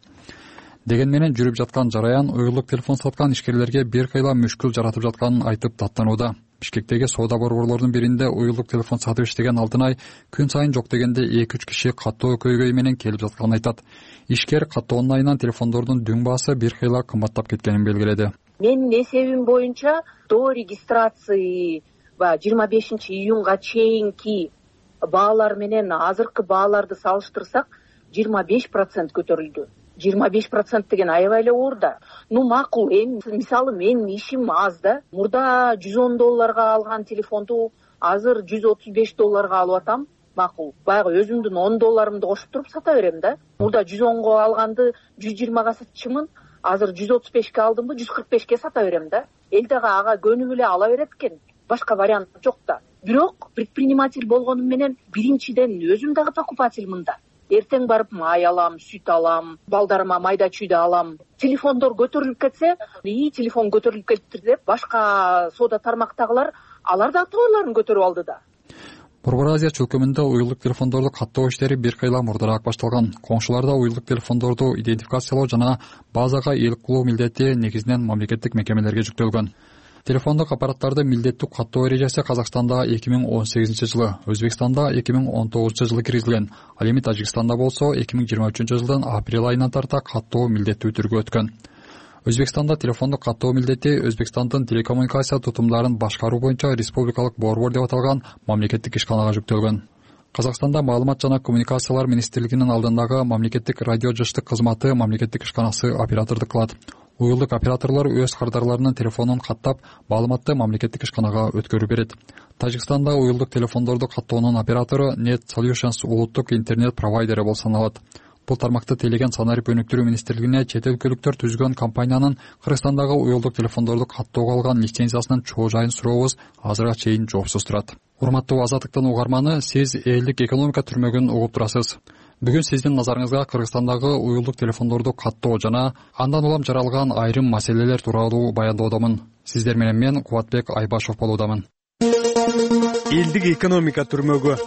Деген менен жүрүп жаткан жараян уюлдук телефон саткан ишкерлерге бир кыйла мүшкүл жаратып жатканын айтып даттанууда. Бишкектеги соода борборлордун биринде уюлдук телефон сатып иштеген Алтынай күн сайын жок дегенде эки үч киши каттоо көйгөй менен келип жатканын айтат. Ишкер каттоонун айынан телефондордун дүң баасы бир кыйла кымбаттап кеткенин белгиледи. Менин эсебим боюнча до регистрации жыйырма бешинчи июнга чейинки баалар менен азыркы бааларды салыштырсак жыйырма беш процент көтөрүлдү. жыйырма беш процент деген аябай эле оор да. Ну макул, эми мисалы менин ишим аз да. Мурда жүз он долларга алган телефонду азыр жүз отуз беш долларга алып атам. Макул. Баягы өзүмдүн он долларымды кошуп туруп сата берем да. Мурда жүз онго алганды жүз жыйырмага сатчумун. Азыр жүз отуз бешке алдымбы, жүз кырк бешке сата берем да. Эл дагы ага көнүп эле ала берет экен. Башка вариант жок да. Бирок предприниматель болгонум менен биринчиден өзүм дагы покупательмын да. Эртең барып май алам, сүт алам, балдарыма майда чүйдө алам. Телефондор көтөрүлүп кетсе, и телефон көтөрүлүп кетти деп башка соода тармактагылар алар да товарларын көтөрүп алды да. Борбор Азия чөлкөмүндө уюлдук телефондорду каттоо иштери бир кыйла мурдараак башталган. Коңшуларда уюлдук телефондорду идентификациялоо жана базага ээлик кылуу милдети негизинен мамлекеттик мекемелерге жүктөлгөн. Телефондук аппараттарды милдеттүү каттоо эрежеси Казакстанда эки миң он сегизинчи жылы, Өзбекстанда эки миң он тогузунчу жылы киргизилген. Ал эми Тажикстанда болсо эки миң жыйырма үчүнчү жылдын апрель айынан тарта каттоо милдеттүү түргө өткөн. Өзбекстанда телефондук каттоо милдети Өзбекстандын телекоммуникация тутумдарын башкаруу боюнча республикалык борбор деп аталган мамлекеттик ишканага жүктөлгөн. Казакстанда маалымат жана коммуникациялар министрлигинин алдындагы мамлекеттик радио жыштык кызматы мамлекеттик ишканасы оператордук кылат. Уюлдук операторлор өз кардарларынын телефонун каттап, маалыматты мамлекеттик ишканага өткөрүп берет. Тажикстанда уюлдук телефондорду каттоонун оператору Net Solutions улуттук интернет провайдери болуп саналат. Бул тармакты тейлеген санарип өнүктүрүү министрлигине чет өлкөлүктөр түзгөн компаниянын Кыргызстандагы уюлдук телефондорду каттоого алган лицензиясынын чоо жайын сурообуз азырга чейин жоопсуз турат. Урматтуу Азаттыктын угарманы, сиз элдик экономика түрмөгүн угуп турасыз. Бүгүн сиздин назарыңызга Кыргызстандагы уюлдук телефондорду каттоо жана андан улам жаралган айрым маселелер тууралуу баянdoодомун. Сиздер менен мен Кубатбек Айбашев болуудамын. Элдик экономика түрмөгү.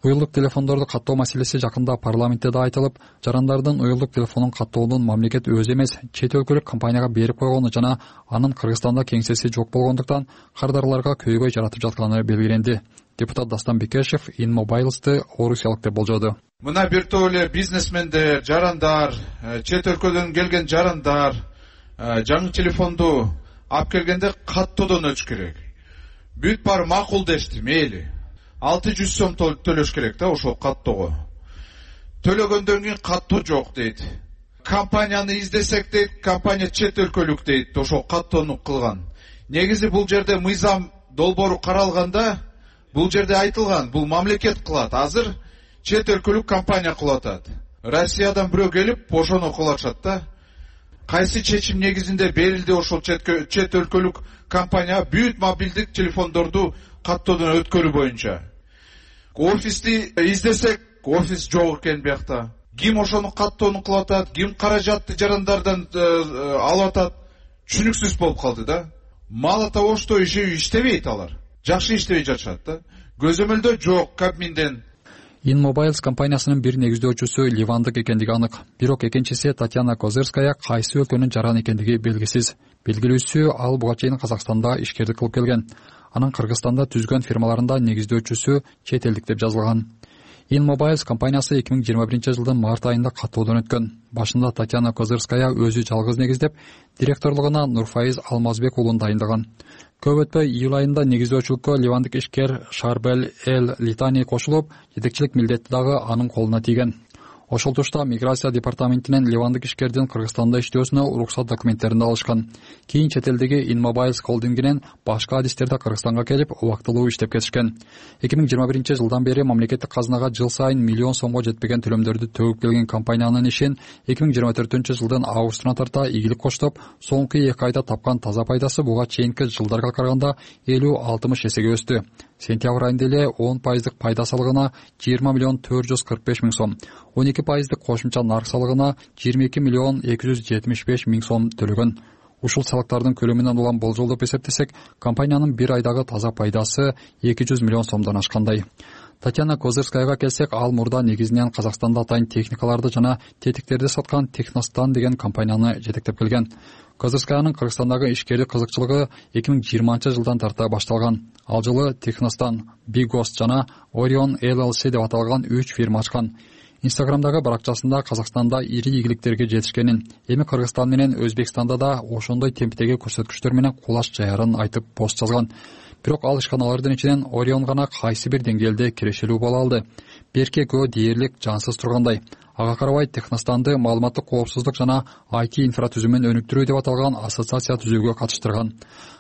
Уюлдук телефондорду каттоо маселеси жакында парламентте да айтылып, жарандардын уюлдук телефонун каттоонун мамлекет өзү эмес, чет өлкөлүк компанияга берип койгону жана анын Кыргызстанда кеңсеси жок болгондуктан кардарларга көйгөй жаратып жатканы белгиленди. Депутат Дастан Бекешев InMobiles'ты орусиялык деп болжоду. Мына бир топ эле бизнесмендер, жарандар, чет өлкөдөн келген жарандар жаңы телефонду алып келгенде каттоодон өтүш керек. Бүт баары макул дешти, мейли. алты жүз сом төлөш керек да ошол каттоого. Төлөгөндөн кийин каттоо жок дейт. Компанияны издесек дейт, компания чет өлкөлүк дейт, ошол каттоону кылган. Негизи бул жерде мыйзам долбоору каралганда, бул жерде айтылган, бул мамлекет кылат. Азыр чет өлкөлүк компания кылып атат. Россиядан бирөө келип, ошону кылып атышат да. Кайсы чечим негизинде берилди ошол чет өлкөлүк компания бүт мобилдик телефондорду каттоодон өткөрүү боюнча. Офисти издесек, офис жок экен биякта. Ким ошону каттоону кылып атат, ким каражатты жарандардан алып атат, түшүнүксүз болуп калды да. Мало того, что иши иштебейт алар. Жакшы иштебей жатышат да. Көзөмөлдө жок Кабминден. InMobiles компаниясынын бир негиздөөчүсү ливандык экендиги анык. Бирок экинчиси Татьяна Козырская кайсы өлкөнүн жараны экендиги белгисиз. Белгилүүсү ал буга чейин Казакстанда ишкердик кылып келген. Анын Кыргызстанда түзгөн фирмаларында негиздөөчүсү чет элдик деп жазылган. InMobiles компаниясы эки миң жыйырма биринчи жылдын март айында каттоодон өткөн. Башында Татьяна Козырская өзү жалгыз негиздеп, директорлугуна Нурфайыз Алмазбек уулун дайындаган. Көп өтпөй июль айында негиздөөчүлүккө ливандык ишкер Шарбел Эл Литани кошулуп, жетекчилик милдети дагы анын колуна тийген. Ошол тушта миграция департаментинен ливандык ишкердин Кыргызстанда иштөөсүнө уруксат документтерин алышкан. Кийин чет элдеги InMobiles холдингинен башка адистерде Кыргызстанга келип, убактылуу иштеп кетишкен. эки миң жыйырма биринчи жылдан бери мамлекеттик казынага жыл сайын миллион сомго жетпеген төлөмдөрдү төгүп келген компаниянын ишин эки миң жыйырма төртүнчү жылдын августуна тарта ийгилик коштоп, соңку эки айда тапкан таза пайдасы буга чейинки жылдарга караганда элүү алтымыш эсеге өстү. Сентябрь айында эле он пайыздык пайда салыгына жыйырма миллион төрт жүз кырк беш миң сом, он эки пайыздык кошумча нарк салыгына жыйырма эки миллион эки жүз жетимиш беш миң сом төлөгөн. Ушул салыктардын көлөмүнөн улам болжолдоп эсептесек, компаниянын бир айдагы таза пайдасы эки жүз миллион сомдон ашкандай. Татьяна Козырскаяга келсек, ал мурда негизинен Казакстанда атайын техникаларды жана тетиктерди саткан Техностан деген компанияны жетектеп келген. Козырскаянын Кыргызстандагы ишкердик кызыкчылыгы эки миң жыйырманчы жылдан тарта башталган. Ал жылы Техностан, Bighost жана Orion Эл Эл Си деп аталган үч фирма ачкан. Инстаграмдагы баракчасында Казакстанда ири ийгиликтерге жетишкенин, эми Кыргызстан менен Өзбекстанда да ошондой темптеги көрсөткүчтөр менен кулаш жаярын айтып пост жазган. Бирок ал ишканалардын ичинен Orion гана кайсы бир деңгээлде кирешелүү боло алды. Берке экөө дээрлик жансыз тургандай. Ага карабай Техностанды маалыматтык коопсуздук жана ай ти инфратүзүмүн өнүктүрүү деп аталган ассоциация түзүүгө катыштырган.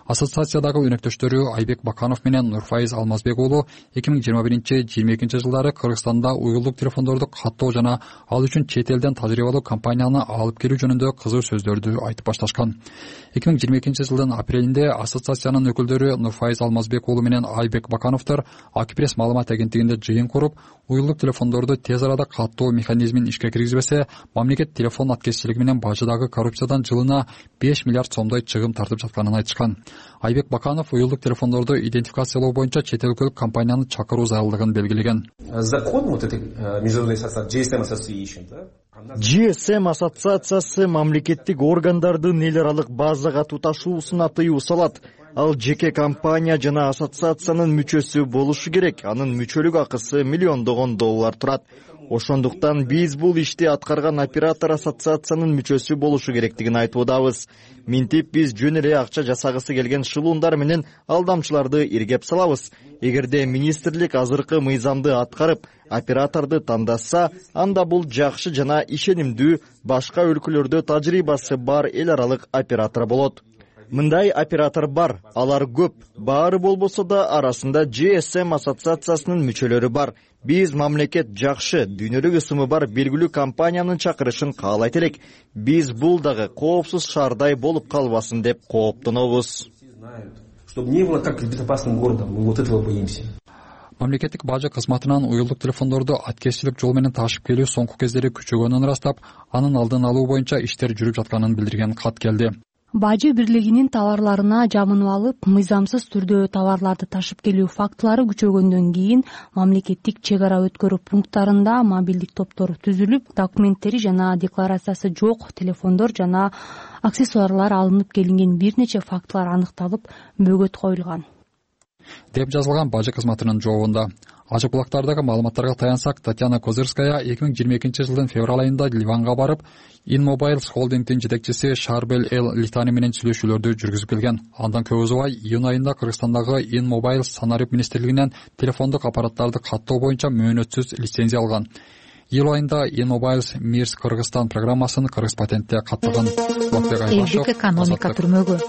Ассоциациядагы өнөктөштөрү Айбек Баканов менен Нурфайыз Алмазбек уулу эки миң жыйырма биринчи жыйырма экинчи жылдары Кыргызстанда уюлдук телефондорду каттоо жана ал үчүн чет элден тажрыйбалуу компанияны алып келүү жөнүндө кызуу сөздөрдү айтып башташкан. эки миң жыйырма экинчи жылдын апрелинде ассоциациянын өкүлдөрү Нурфайыз Алмазбек уулу менен Айбек Бакановдор Акипресс маалымат агенттигинде жыйын куруп, уюлдук телефондорду тез арада каттоо механизмин ишке киргизбесе, мамлекет телефон аткезчилиги менен бажыдагы коррупциядан жылына беш миллиард сомдой чыгым тартып жатканын айтышкан. Айбек Баканов уюлдук телефондорду идентификациялоо боюнча чет өлкөлүк компанияны чакыруу зарылдыгын белгилеген. Закон вот этой международной ассоциации джи эс эм Association, да? джи эс эм ассоциациясы мамлекеттик органдардын эл аралык базага туташуусуна тыюу салат. Ал жеке компания жана ассоциациянын мүчөсү болушу керек. Анын мүчөлүк акысы миллиондогон доллар турат. Ошондуктан биз бул ишти аткарган оператор ассоциациянын мүчөсү болушу керектигин айтуудабыз. Минтип биз жөн эле акча жасагысы келген шылуундар менен алдамчыларды иргеп салабыз. Эгерде министрлик азыркы мыйзамды аткарып, операторду тандаса, анда бул жакшы жана ишенимдүү башка өлкөлөрдө тажрыйбасы бар эл аралык оператор болот. Мындай оператор бар, алар көп. Баары болбосо да арасында джи эс эм ассоциациясынын мүчөлөрү бар. Биз мамлекет жакшы, дүйнөлүк ысымы бар белгилүү компаниянын чакырышын каалайт элек. Биз бул дагы коопсуз шаардай болуп калбасын деп кооптонобуз. Чтобы не было как безопасным городом, мы вот этого боимся. Мамлекеттик бажы кызматынан уюлдук телефондорду аткезчилик жол менен ташып келүү соңку кездери күчөгөнүн ырастап, анын алдын алуу боюнча иштер жүрүп жатканын билдирген кат келди. бажы бирлигинин товарларына жабынып алып мыйзамсыз түрдө товарларды ташып келүү фактылары күчөгөндөн кийин мамлекеттик чек ара өткөрүү пункттарында мобилдик топтор түзүлүп, документтери жана декларациясы жок телефондор жана аксессуарлар алынып келинген бир нече фактылар аныкталып, бөгөт коюлган деп жазылган бажы кызматынын жообунда. Ачык булактардагы маалыматтарга таянсак, Татьяна Козырская эки миң жыйырма экинчи жылдын февраль айында Ливанга барып, InMobiles холдингдин жетекчиси Шарбел Эл Литани менен сүйлөшүүлөрдү жүргүзүп келген. Андан көп узабай июнь айында Кыргызстандагы InMobiles санарип министрлигинен телефондук аппараттарды каттоо боюнча мөөнөтсүз лицензия алган. Июль айында InMobiles Мирс Кыргызстан программасын Кыргыз патентте каттаган. Элдик экономика түрмөгү.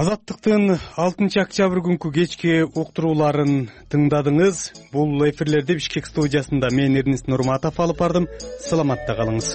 Азаттыктын алтынчы октябрь күнкү кечки уктурууларын тыңдадыңыз. Бул эфирлерди Бишкек студиясында мен Эрнис Нурматов алып бардым. Саламатта калыңыз.